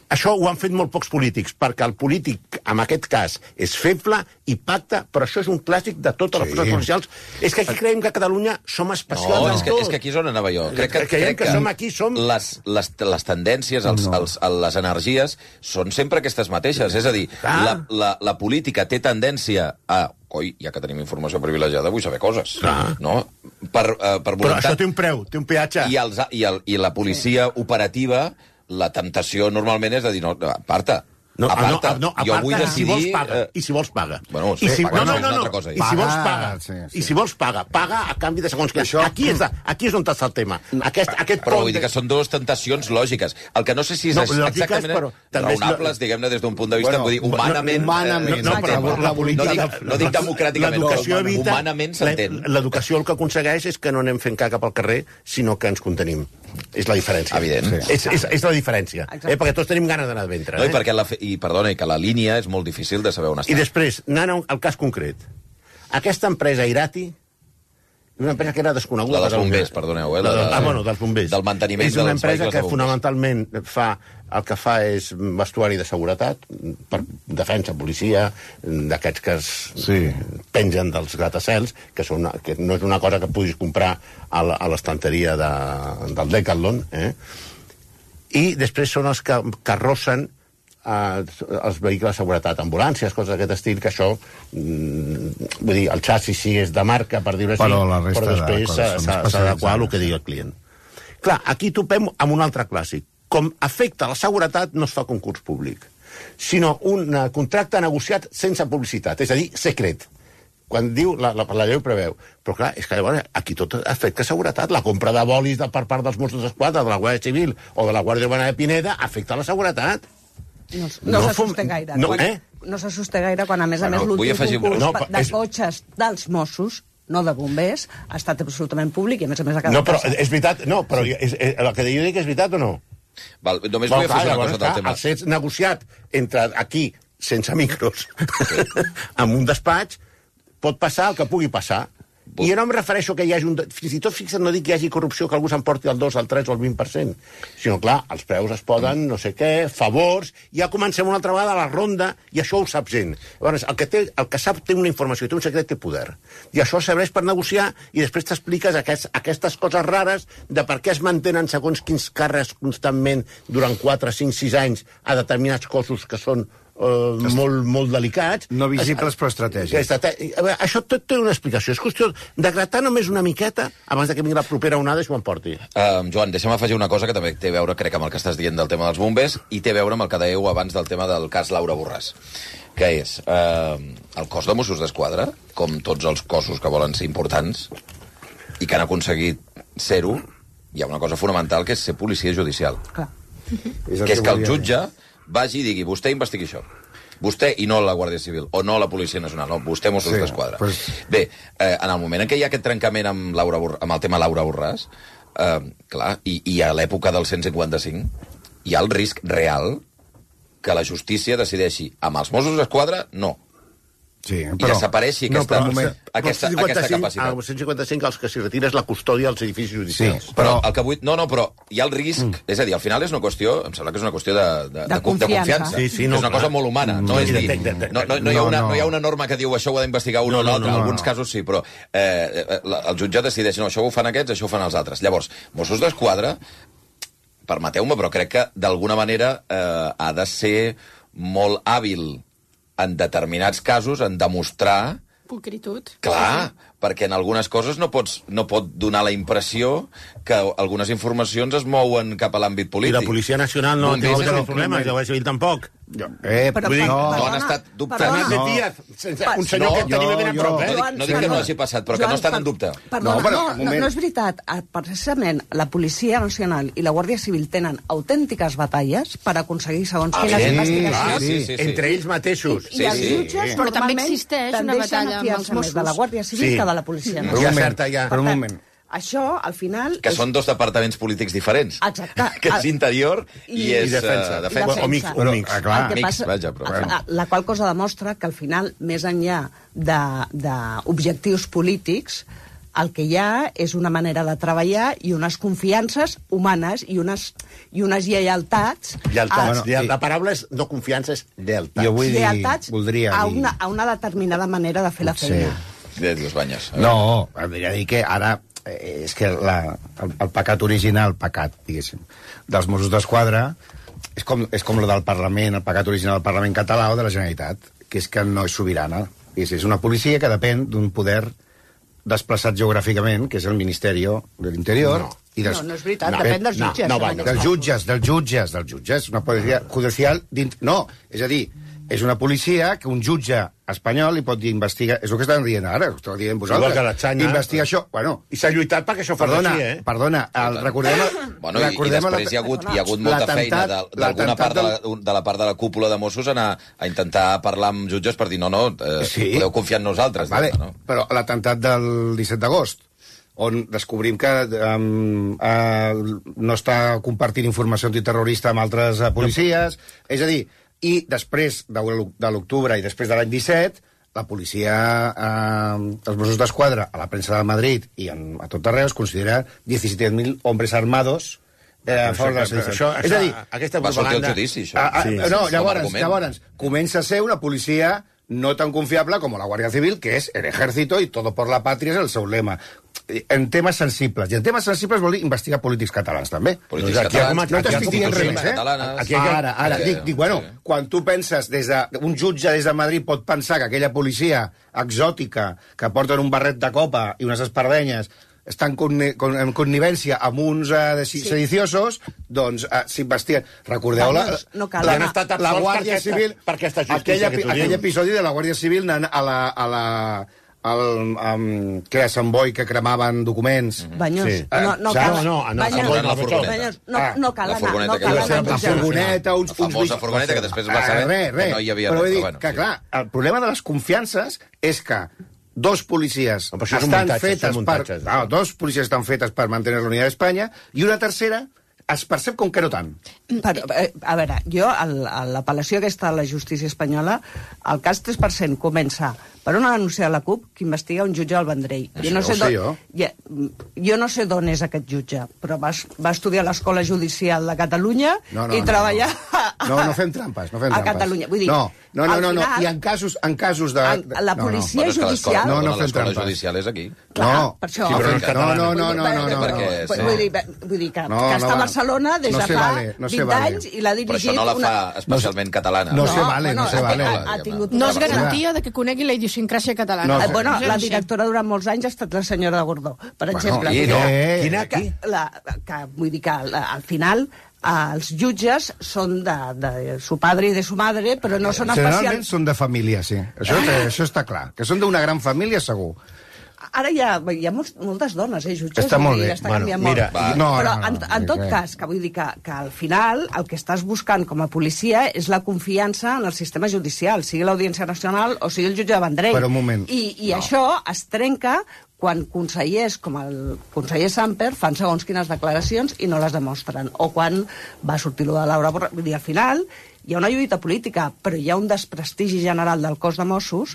Això ho han fet molt pocs polítics, perquè el polític, en aquest cas, és feble i pacta, però això és un clàssic de totes les forces policials. És que aquí creiem que a Catalunya som especials en tot. És que aquí és on anava jo. Crec que som aquí, les tendències, les energies, són sempre aquestes mateixes. És a dir, la política té tendència a... Coi, ja que tenim informació privilegiada, vull saber coses. No? Per voluntat... Però això té un preu, té un peatge. I la policia operativa... La temptació normalment és de dir, no, aparta. Aparta. Jo vull decidir... I si vols paga. Bueno, pagar no és una altra cosa. I si vols paga. I si vols paga. Paga a canvi de segons què. Aquí és on està el tema. Però vull dir que són dues tentacions lògiques. El que no sé si és exactament raonables, diguem-ne, des d'un punt de vista, vull dir, humanament... No dic democràticament, però humanament s'entén. L'educació el que aconsegueix és que no anem fent caca pel carrer, sinó que ens contenim. És la diferència. Evident. És la diferència. Perquè tots tenim ganes d'anar a ventre. No, i perquè perdona, que la línia és molt difícil de saber on està. I després, anant al cas concret, aquesta empresa Irati, una empresa que era desconeguda... La dels bombers, perdoneu. Dels bombers. Del manteniment dels vehicles de bombers. És una empresa que fonamentalment el que fa és vestuari de seguretat, per defensa, policia, d'aquests que pengen dels gratacels, que no és una cosa que puguis comprar a l'estanteria del Decathlon, i després són els que arrossen els vehicles de seguretat, ambulàncies, coses d'aquest estil, que això, vull dir, el xassis sí és de marca, per dir-ho així, però després s'ha d'adequar al que digui el client. Clar, aquí topem amb un altre clàssic. Com afecta la seguretat, no es fa concurs públic, sinó un contracte negociat sense publicitat, és a dir, secret. quan diu, la llei ho preveu. Però clar, és que llavors aquí tot afecta seguretat. La compra de bolis per part dels Mossos d'Esquadra, de la Guàrdia Civil o de la Guàrdia Urbana de Pineda afecta la seguretat. No s'assusta gaire. No s'assusta gaire quan, a més, l'últim concurs de cotxes dels Mossos, no de bombers, ha estat absolutament públic i, a més, ha quedat... No, però és veritat, però el que jo dic és veritat o no? Només vull afegir una cosa del tema. El fet negociat entre aquí, sense micros, amb un despatx, pot passar el que pugui passar. I jo no em refereixo que hi hagi fins i tot, fixa't, no dic que hi hagi corrupció, que algú s'emporti el 2, el 3 o el 20%, sinó, clar, els preus es poden, no sé què, favors, ja comencem una altra vegada a la ronda, i això ho sap gent. Llavors, el que sap té una informació, té un secret, té poder. I això serveix per negociar, i després t'expliques aquestes coses rares de per què es mantenen segons quins càrrecs constantment durant 4, 5, 6 anys a determinats cossos que són molt delicats. No visibles, però estratègics. Això tot té una explicació. És qüestió de gratar només una miqueta abans que vingui la propera onada i s'ho emporti. Joan, deixa'm afegir una cosa que també té a veure, crec, amb el que estàs dient del tema dels bombers i té a veure amb el que dèieu abans del tema del cas Laura Borràs, que és el cos de Mossos d'Esquadra, com tots els cossos que volen ser importants i que han aconseguit ser-ho, hi ha una cosa fonamental, que és ser policia judicial. Clar. Que és que el jutge vagi i digui, vostè investigui això. Vostè i no la Guàrdia Civil, o no la Policia Nacional, no, vostè Mossos d'Esquadra. Bé, en el moment en què hi ha aquest trencament amb el tema Laura Borràs, clar, i a l'època del 155, hi ha el risc real que la justícia decideixi amb els Mossos d'Esquadra, no. Sí, i desapareixi aquesta capacitat. Al 155 els que s'hi retira és la custòdia dels edificis judicials. Sí, però el que vull... No, però hi ha el risc... És a dir, al final és una qüestió... Em sembla que és una qüestió de confiança. Sí, és una cosa molt humana. No hi ha una norma que diu això ho ha d'investigar un o l'altre. En alguns casos sí, però el jutge decideix no, això ho fan aquests, això ho fan els altres. Llavors, Mossos d'Esquadra, permeteu-me, però crec que d'alguna manera ha de ser molt hàbil en determinats casos, en demostrar... Pulcritud. Clar, perquè en algunes coses no pot donar la impressió que algunes informacions es mouen cap a l'àmbit polític. I la Policia Nacional no ha tingut els problemes, i la Guàrdia Civil tampoc. No han estat dubtats. Un senyor que tenim ben a prop, No dic que no hagi passat, però que no estan en dubte. No és veritat. Precisament la Policia Nacional i la Guàrdia Civil tenen autèntiques batalles per aconseguir segons quines investigacions. Entre ells mateixos. I els jutges però també existeix una batalla amb els Mossos. De la Guàrdia Civil que de la Policia Nacional. Per un moment. Això, al final... Que són dos departaments polítics diferents. Exacte. Que és interior i és defensa. O mix. La qual cosa demostra que, al final, més enllà d'objectius polítics, el que hi ha és una manera de treballar i unes confiances humanes i unes lleialtats... La paraula és no confiança, és lleialtats. Jo vull dir, voldria dir... a una determinada manera de fer la feina. Dios baños. No, voldria dir que ara... És que el pecat original, diguéssim, dels Mossos d'Esquadra és com lo del Parlament, el pecat original del Parlament català o de la Generalitat, que és que no és sobirana. És una policia que depèn d'un poder desplaçat geogràficament, que és el Ministeri de l'Interior. No és veritat, depèn dels jutges. Dels jutges. Una policia judicial... No, és a dir, és una policia que un jutge espanyol li pot dir investigar... És el que estan dient ara, ho esteu dient vosaltres. Investiga això. Bueno, i s'ha lluitat perquè això fos així, eh? Perdona, recordem... Bueno, i després hi ha hagut molta feina d'alguna part de la part de la cúpula de Mossos a intentar parlar amb jutges per dir no, podeu confiar en nosaltres. Però l'atemptat del 17 d'agost, on descobrim que no està compartint informació antiterrorista amb altres policies, és a dir, i després de l'octubre i després de l'any 17, la policia, els Mossos d'Esquadra, a la premsa de Madrid i a tot arreu es considera 17.000 hombres armados a favor de la sedició. És a dir, aquesta propaganda... Llavors, comença a ser una policia no tan confiable com la Guàrdia Civil, que és el ejército i todo por la patria és el seu lema. En temes sensibles. I en temes sensibles vol dir investigar polítics catalans, també. Polítics catalans, no t'estic dient res més, Ara, dic, bueno, quan tu penses, un jutge des de Madrid pot pensar que aquella policia exòtica que porten un barret de copa i unes espardenyes estan en connivència amb uns sediciosos, doncs s'investiguen. Recordeu la Guàrdia Civil, aquell episodi de la Guàrdia Civil anant a que a Sant Boi que cremaven documents. Banyós. No cal anar. La furgoneta. No cal anar. La furgoneta, la famosa furgoneta que després va saber que no hi havia res. Però vull dir bueno, que, clar, el problema de les confiances és que dos policies estan fetes per mantenir la unitat d'Espanya i una tercera es percep com que no tant. Però, a veure, jo, l'apel·lació aquesta a la justícia espanyola, el cas 3% comença per una denúncia de la CUP que investiga un jutge al Vendrell. Jo no sé d'on és aquest jutge, però va estudiar a l'Escola Judicial de Catalunya i treballar No fem trampes. A Catalunya. Vull dir, no. I en casos de... La policia judicial... No fem l'escola trampes. judicial és aquí. Clar, per això... No. Vull dir que està a Barcelona des de fa 20 anys i l'ha dirigit... Però això no la fa especialment catalana. No se vale. No és garantia de que conegui la idiosincràsia catalana. Bueno, la directora durant molts anys ha estat la senyora Gordó, per exemple. Vull dir que al final els jutges són de su padre i de su madre, però no són especials... Generalment són de família, sí. Això està clar. Que són d'una gran família, segur. Ara hi ha moltes dones, jutges. Està molt bé. Està canviant molt. Però, en tot cas, que vull dir que al final el que estàs buscant com a policia és la confiança en el sistema judicial, sigui l'Audiència Nacional o sigui el jutge de Vendrell. Però un moment. I això es trenca quan consellers com el conseller Samper fan segons quines declaracions i no les demostren. O quan va sortir de Laura Borràs. Vull dir, al final hi ha una lluita política, però hi ha un desprestigi general del cos de Mossos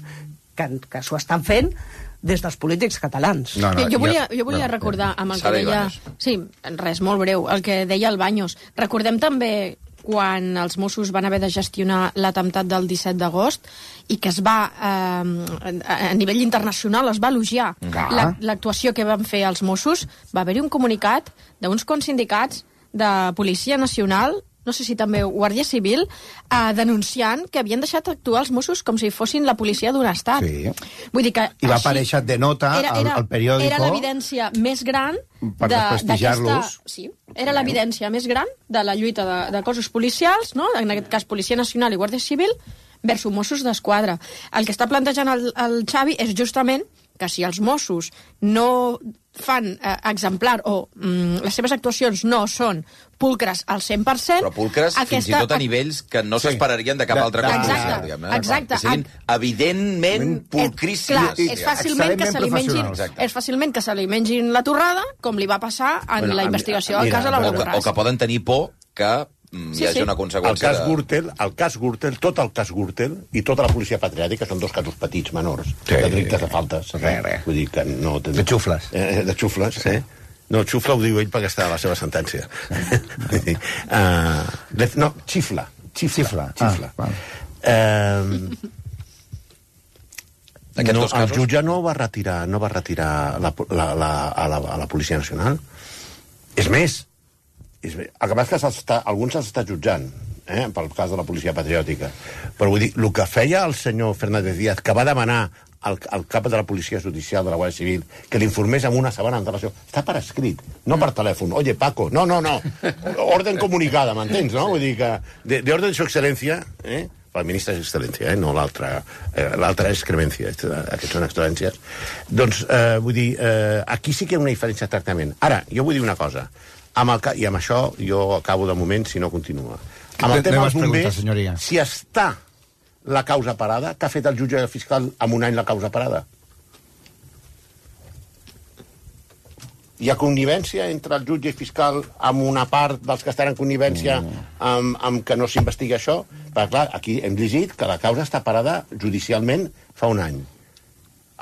que s'ho estan fent des dels polítics catalans. Jo volia recordar amb el que deia... Sí, res, molt breu, el que deia el Baños. Recordem també quan els Mossos van haver de gestionar l'atemptat del 17 d'agost i que es va, a nivell internacional, es va elogiar l'actuació que van fer els Mossos. Va haver-hi un comunicat d'uns sindicats de Policia Nacional, no sé si també Guàrdia Civil, denunciant que havien deixat actuar els Mossos com si fossin la policia d'un estat. Sí. Vull dir que I va aparèixer de nota al periòdico... Era l'evidència més gran per desprestigiar-los. Sí, era l'evidència més gran de la lluita de cossos policials, no? En aquest cas Policia Nacional i Guàrdia Civil, versus Mossos d'Esquadra. El que està plantejant el Xavi és justament que si els Mossos no fan exemplar o les seves actuacions no són pulcres al 100%... Però pulcres fins i tot a nivells que no s'esperarien de cap altre cop. Exacte. Que siguin evidentment pulcríssims. Clar, és fàcilment que se li mengin la torrada, com li va passar en la investigació del cas de Laura Borràs. O que poden tenir por que hi hagi una conseqüència... El cas Gürtel, tot el cas Gürtel i tota la policia patriòtica són dos casos petits, menors, de delictes de faltes. Vull dir que no... De xufles. De xufles, No, xufla ho diu ell perquè està a la seva sentència. No, xifla. El jutge no va retirar a la Policia Nacional. És més, el que passa és que alguns els està jutjant, pel cas de la policia patriòtica. Però vull dir, el que feia el senyor Fernández Díaz, que va demanar al cap de la policia judicial de la Guàrdia Civil que l'informés amb una setmana d'antelació, està per escrit, no per telèfon. Oye, Paco, no. Orden comunicada, m'entens, no? Vull dir que de orden de su excelencia, el ministre és excel·lència, no l'altra és cremència, aquestes són excel·lències. Doncs, vull dir, aquí sí que hi ha una diferència de tractament. Ara, jo vull dir una cosa, i amb això jo acabo de moment, si no continua. Amb el tema dels bombers, si està la causa parada, què ha fet el jutge fiscal en un any la causa parada? Hi ha connivència entre el jutge fiscal amb una part dels que estan en connivència amb que no s'investiga això? Perquè, clar, aquí hem llegit que la causa està parada judicialment fa un any.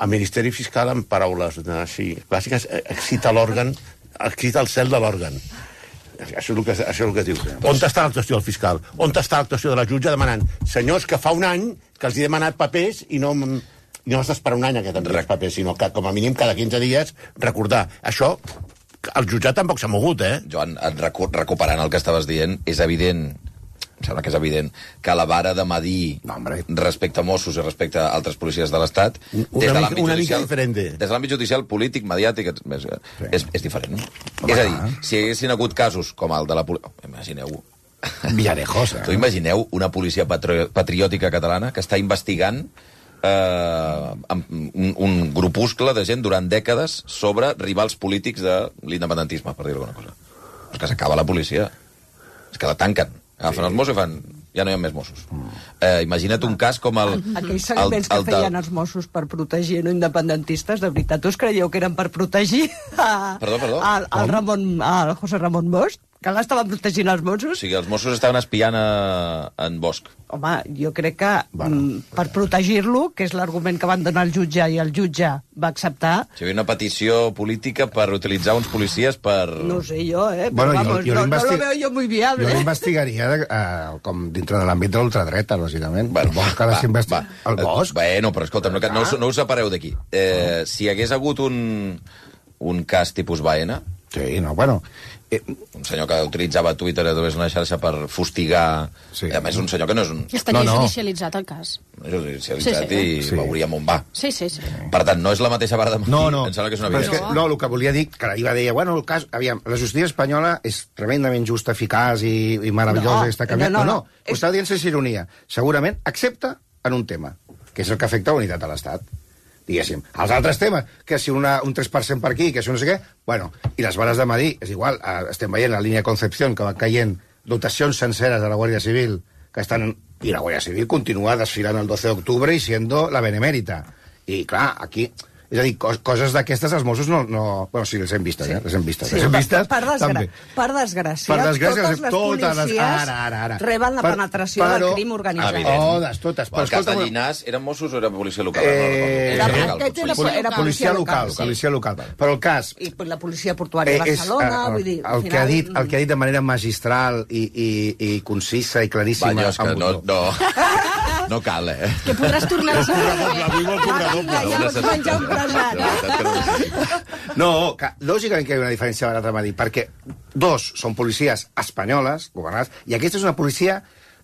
El Ministeri Fiscal, en paraules així clàssiques, excita el cel de l'òrgan. Això és el que diu. On està l'actuació del fiscal? On està l'actuació de la jutge demanant senyors que fa un any que els he demanat papers i no has d'esperar un any a que t'enviïs papers, sinó que com a mínim cada 15 dies recordar. Això, el jutjat tampoc s'ha mogut, Joan, recuperant el que estaves dient, és evident, em sembla que és evident, que la vara de medir respecte a Mossos i respecte a altres policies de l'Estat, des de l'àmbit judicial, polític, mediàtic, és diferent. És a dir, si hi haguessin hagut casos com el de la policia... Imagineu... Villarejos, Tu imagineu una policia patriòtica catalana que està investigant un grupuscle de gent durant dècades sobre rivals polítics de l'independentisme, per dir alguna cosa. És que s'acaba la policia. És que la tanquen. Agafen els Mossos i fan... Ja no hi ha més Mossos. Imagina't un cas com el... Aquells seguiments que feien els Mossos per protegir no independentistes, de veritat, us creieu que eren per protegir Perdó. al José Ramón Bosch? Que l'estaven protegint els Mossos? O sigui, els Mossos estaven espiant en Bosch. Home, jo crec que per protegir-lo, que és l'argument que van donar al jutge i el jutge va acceptar... O sigui, una petició política per utilitzar uns policies per... No sé jo, Bueno, però vamos, no lo veo yo muy viable. Jo l'investigaria com dintre de l'àmbit de l'ultradreta, lògicament. Bueno, el Bosch. Bueno, però escolta, no us separeu d'aquí. Si hi hagués hagut un cas tipus Baena... Sí, no, bueno... Un senyor que utilitzava Twitter a través d'una xarxa per fustigar... Sí. A més, un senyor que no és un... Estaria judicialitzat el cas. Judicialitzat i veuríem on va. Sí. Per tant, no és la mateixa vara de motiu. No. Em sembla que és una evidència. No, el que volia dir, que ahir va dir, bueno, el cas... Aviam, la justícia espanyola és tremendament justa, eficaç i meravellosa, i està canviant. No. Ho està dient sense ironia. Segurament, excepte en un tema, que és el que afecta la unitat de l'Estat. Diguéssim. Els altres temes, que si un 3% per aquí, que si no sé què... Bueno, i les bares de Madrid, és igual, estem veient la línia Concepción, que va caient dotacions senceres de la Guàrdia Civil, que estan... I la Guàrdia Civil continua desfilant el 12 d'octubre i siendo la benemèrita. I, clar, aquí... És a dir, coses d'aquestes els Mossos no... Bueno, sí, les hem vistes, les hem vistes. Sí, per desgràcia, totes les policies reben la penetració del crim organitzat. Totes. El cas de Llinàs, eren Mossos o era policia local? Era policia local. Però el cas... I la policia portuària de Barcelona, vull dir... El que ha dit de manera magistral i concisa i claríssima... Va, és que no cal, Que podràs tornar a saber. Menjar un No, lògicament que hi ha una diferència barat a Madrid, perquè dos són policies espanyoles, governades, i aquesta és una policia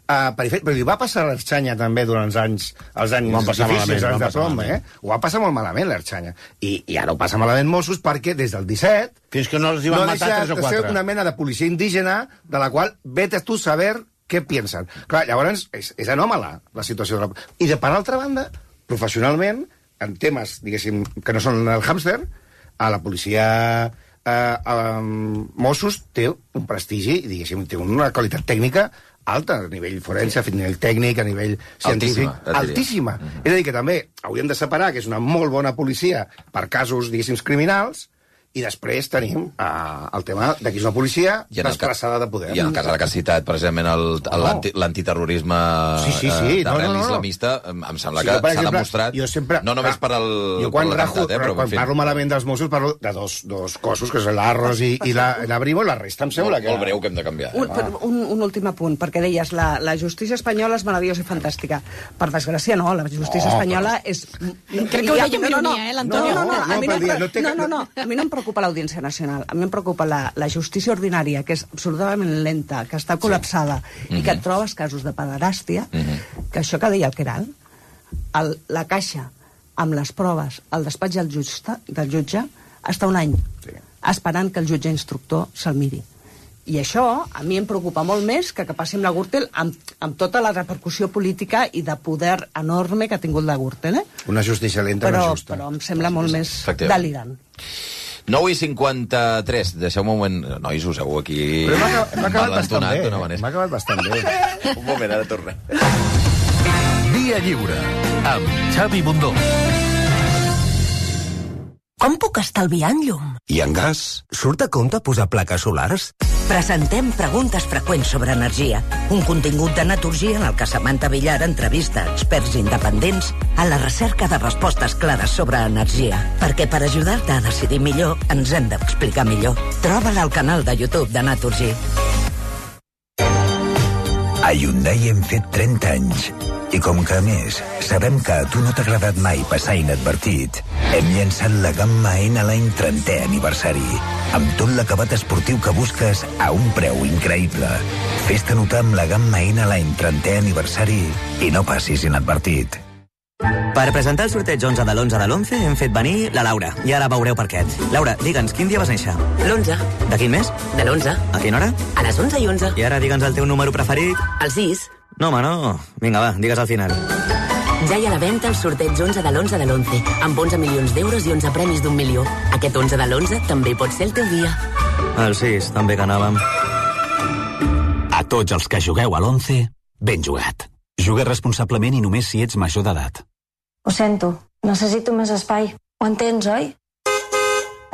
perifèrica. Però li va passar a l'Ertxanya també durant els anys difícils, anys de plom, Ho va passar molt malament, l'Ertxanya. I ara ho passa malament Mossos perquè des del 17... Fins que no els hi van matar 3 o 4. No deixa de ser una mena de policia indígena de la qual vete tu saber què piensen. Clar, llavors és anòmala la situació. I per altra banda, professionalment, en temes, diguéssim, que no són el hàmster, a la policia Mossos té un prestigi, diguéssim, té una qualitat tècnica alta, a nivell forense, a nivell tècnic, a nivell científic, altíssima. És a dir, que també hauríem de separar que és una molt bona policia per casos, diguéssim, criminals, i després tenim el tema de qui és una policia desplaçada de poder. I en el cas de la que has citat, precisament, l'antiterrorisme d'arrel islamista, em sembla que s'ha demostrat, no només per l'atemptat, però quan parlo malament dels Mossos, parlo de dos cossos, que és l'Arros i la Brimo, i la resta em sembla que... Molt breu que hem de canviar. Un últim apunt, perquè deies, la justícia espanyola és meravellosa i fantàstica. Per desgràcia, no, la justícia espanyola és... Crec que ho deia amb ironia, l'Antonio. No, a mi no em preocupa l'Audiència Nacional, a mi em preocupa la justícia ordinària, que és absolutament lenta, que està col·lapsada, i que et trobes casos de pederàstia, que això que deia el Queralt, la caixa amb les proves al despatx del jutge està un any esperant que el jutge instructor se'l miri. I això a mi em preocupa molt més que passi amb la Gürtel, amb tota la repercussió política i de poder enorme que ha tingut la Gürtel. Una justícia lenta, però, no justa. Però em sembla molt més delirant. 9:53, deixeu-me un moment... Nois, us heu aquí... Però m'ha acabat bastant bé. Un moment, ara tornem. Via Lliure, amb Xavi Bundó. Com puc estalviar en llum? I en gas? Surt a compte posar plaques solars? Presentem preguntes freqüents sobre energia. Un contingut de Naturgy en el que Samantha Villar entrevista experts independents a la recerca de respostes clares sobre energia. Perquè per ajudar-te a decidir millor, ens hem d'explicar millor. Troba-la al canal de YouTube de Naturgy. A Hyundai hem fet 30 anys. I com que, a més, sabem que a tu no t'ha agradat mai passar inadvertit, hem llançat la gamma N-Line 30è aniversari, amb tot l'acabat esportiu que busques a un preu increïble. Fes-te notar amb la gamma N-Line 30è aniversari i no passis inadvertit. Per presentar el sorteig 11 de l'11 de l'11 hem fet venir la Laura, i ara veureu per què. Laura, digue'ns, quin dia vas néixer? L'11. De quin mes? De l'11. A quina hora? A les 11:11. I ara digue'ns el teu número preferit. El 6. No, home, no. Vinga, va, digues al final. Ja hi ha a la venda el sorteig 11 de l'11 de l'11, amb 11 milions d'euros i 11 premis d'1 milió. Aquest 11 de l'11 també pot ser el teu dia. El 6, també que anàvem. A tots els que jugueu a l'11, ben jugat. Juga responsablement i només si ets major d'edat. Ho sento, necessito més espai. Ho entens, oi?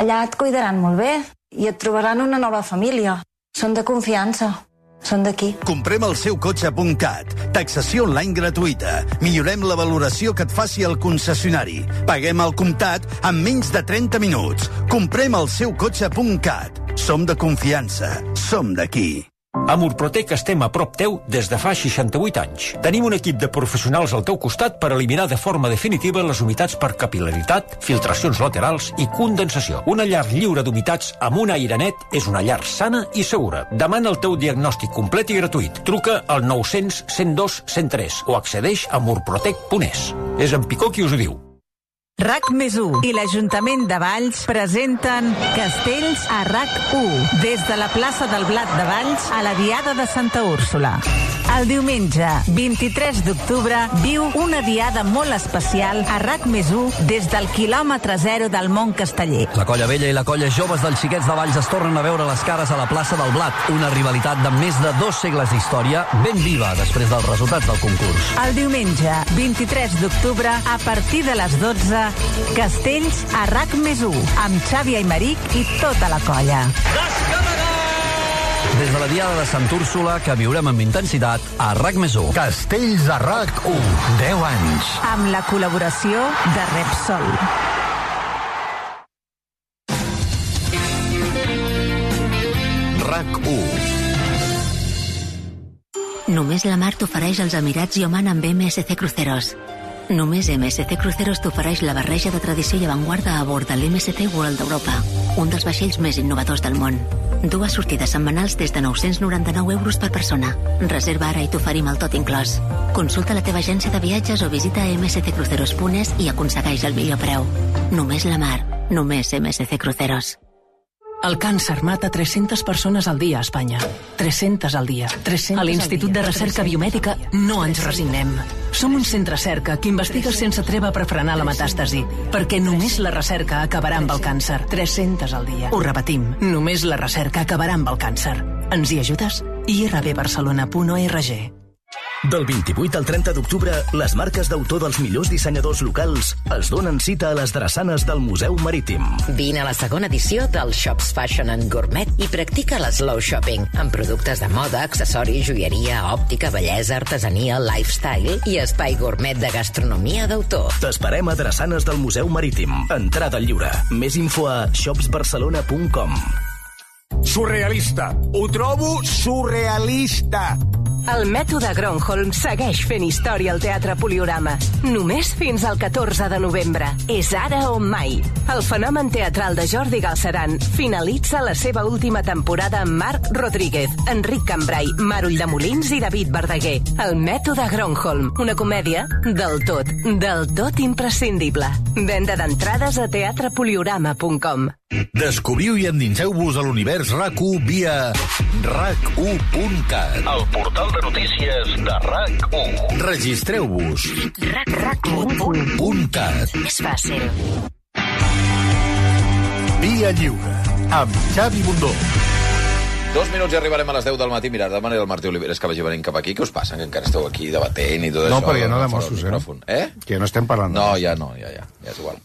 Allà et cuidaran molt bé i et trobaran una nova família. Són de confiança. Són d'aquí. Comprem el seu cotxe.cat. Taxació online gratuïta. Millorem la valoració que et faci el concessionari. Paguem al comptat en menys de 30 minuts. Comprem el seu cotxe.cat. Som de confiança. Som d'aquí. A Murprotec estem a prop teu des de fa 68 anys. Tenim un equip de professionals al teu costat per eliminar de forma definitiva les humitats per capil·laritat, filtracions laterals i condensació. Una llar lliure d'humitats amb un aire net és una llar sana i segura. Demana el teu diagnòstic complet i gratuït. Truca al 900 102 103 o accedeix a murprotec.es. És en Picó qui us ho diu. RAC+1 i l'Ajuntament de Valls presenten Castells a RAC1 des de la plaça del Blat de Valls a la Diada de Santa Úrsula. El diumenge 23 d'octubre viu una diada molt especial a RAC+1 des del quilòmetre zero del Mont Casteller. La colla vella i la colla joves dels xiquets de Valls es tornen a veure les cares a la plaça del Blat, una rivalitat de més de 2 segles d'història ben viva després dels resultats del concurs. El diumenge 23 d'octubre a partir de les 12 Castells a RAC+1 amb Xavi Aymeric i tota la colla. Des de la Diada de Sant Úrsula, que viurem amb intensitat a RAC+1. Castells a RAC1, 10 anys. Amb la col·laboració de Repsol. RAC1. Només la mar t'ofereix els Emirats i Oman amb MSC Cruceros. Només MSC Cruceros t'ofereix la barreja de tradició i avantguarda a bord de l'MSC World d'Europa, un dels vaixells més innovadors del món. 2 sortides setmanals des de 999 euros per persona. Reserva ara i t'oferim el tot inclòs. Consulta la teva agència de viatges o visita msccruceros.es i aconsegueix el millor preu. Només la mar, només MSC Cruceros. El càncer mata 300 persones al dia a Espanya. 300 al dia. 300 a l'Institut de Recerca Biomèdica no ens resignem. Som un centre cerca que investiga sense treva per frenar la metàstasi, perquè només la recerca acabarà amb el càncer. 300 al dia. Ho repetim, només la recerca acabarà amb el càncer. Ens hi ajudes? irbbarcelona.org. Del 28 al 30 d'octubre, les marques d'autor dels millors dissenyadors locals els donen cita a les drassanes del Museu Marítim. Vine a la segona edició del Shops Fashion and Gourmet i practica l'slow shopping amb productes de moda, accessoris, joieria, òptica, bellesa, artesania, lifestyle i espai gourmet de gastronomia d'autor. T'esperem a drassanes del Museu Marítim. Entrada lliure. Més info a shopsbarcelona.com. Surrealista. Ho trobo surrealista. El mètode Gronholm segueix fent història al Teatre Poliorama. Només fins al 14 de novembre. És ara o mai. El fenomen teatral de Jordi Galceran finalitza la seva última temporada amb Marc Rodríguez, Enric Cambrai, Mar Ulldemolins i David Verdaguer. El mètode Gronholm, una comèdia del tot imprescindible. Venda d'entrades a teatrepoliorama.com. Descobriu i endinseu-vos a l'univers RAC1 via RAC1.cat, el portal de notícies de RAC1. Registreu-vos. RAC1.cat. És fàcil. Via Lliure, amb Xavi Bundó. 2 minuts i arribarem a les 10 del matí. Mirad, demana el Martí Oliveres que vagi venint cap aquí. Què us passa? Que encara esteu aquí debatent i tot no, això. No, perquè no de Mossos, Que no estem parlant. No, ja és igual.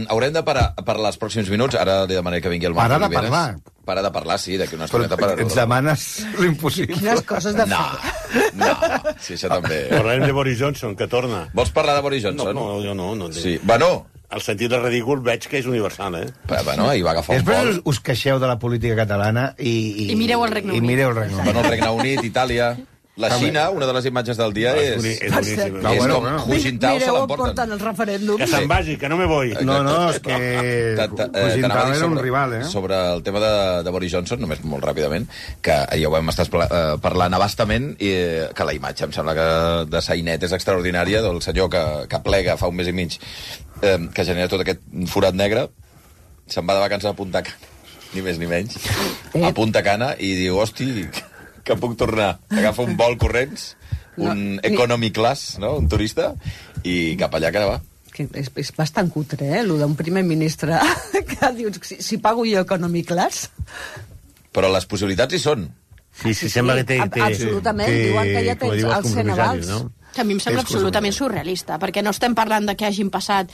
Haurem de parar per els pròxims minuts. Ara li demanaré que vingui el Martí Oliveres. Parar de parlar, sí, d'aquí una estoneta. Però ens demanes l'impossible. Quines coses de fer. No, sí, això també. Parlarem de Boris Johnson, que torna. Vols parlar de Boris Johnson? No, jo no. Sí, bueno... El sentit de ridícul veig que és universal, Bueno, ahir va agafar un vol. Després us queixeu de la política catalana i mireu el Regne Unit. Bueno, el Regne Unit, Itàlia... La Xina, una de les imatges del dia és com Hu Jintao se l'emporten. Portant el referèndum. Que se'n vagi, que no me voy. No, és que Hu Jintao era un rival, Sobre el tema de Boris Johnson, només molt ràpidament, que ja ho vam estar parlant abastament, i que la imatge, em sembla que de Sainet és extraordinària, del senyor que plega fa un mes i mig, que genera tot aquest forat negre, se'n va de vacances a Punta Cana, ni més ni menys, a Punta Cana, i diu, hosti... que puc tornar. Agafo un vol corrents, un economy class, no? Un turista, i cap allà que va. Que és bastant cutre, allò d'un primer ministre que dius, si pago jo economy class... Però les possibilitats hi són. Sí, sembla que té... Absolutament, diuen que ja tens els Cenevals. Que a mi em sembla absolutament surrealista, perquè no estem parlant de que hagin passat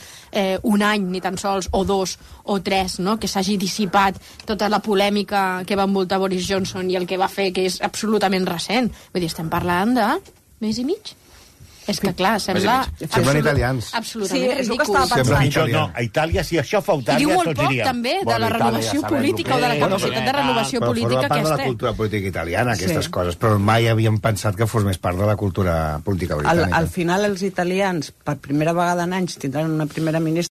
un any, ni tan sols, o 2 o 3, no? Que s'hagi dissipat tota la polèmica que va envoltar Boris Johnson i el que va fer, que és absolutament recent. Vull dir, estem parlant de mes i mig? És que, clar, sembla... Semblen italians. Absolutament ridícul. No, a Itàlia, si això fa Itàlia, I diu molt tots poc, diríem. també, de la renovació política o de la capacitat de renovació política que Però forma part de la cultura política italiana, aquestes coses, però mai havíem pensat que fos més part de la cultura política britànica. Al final, els italians, per primera vegada en anys, tindran una primera ministra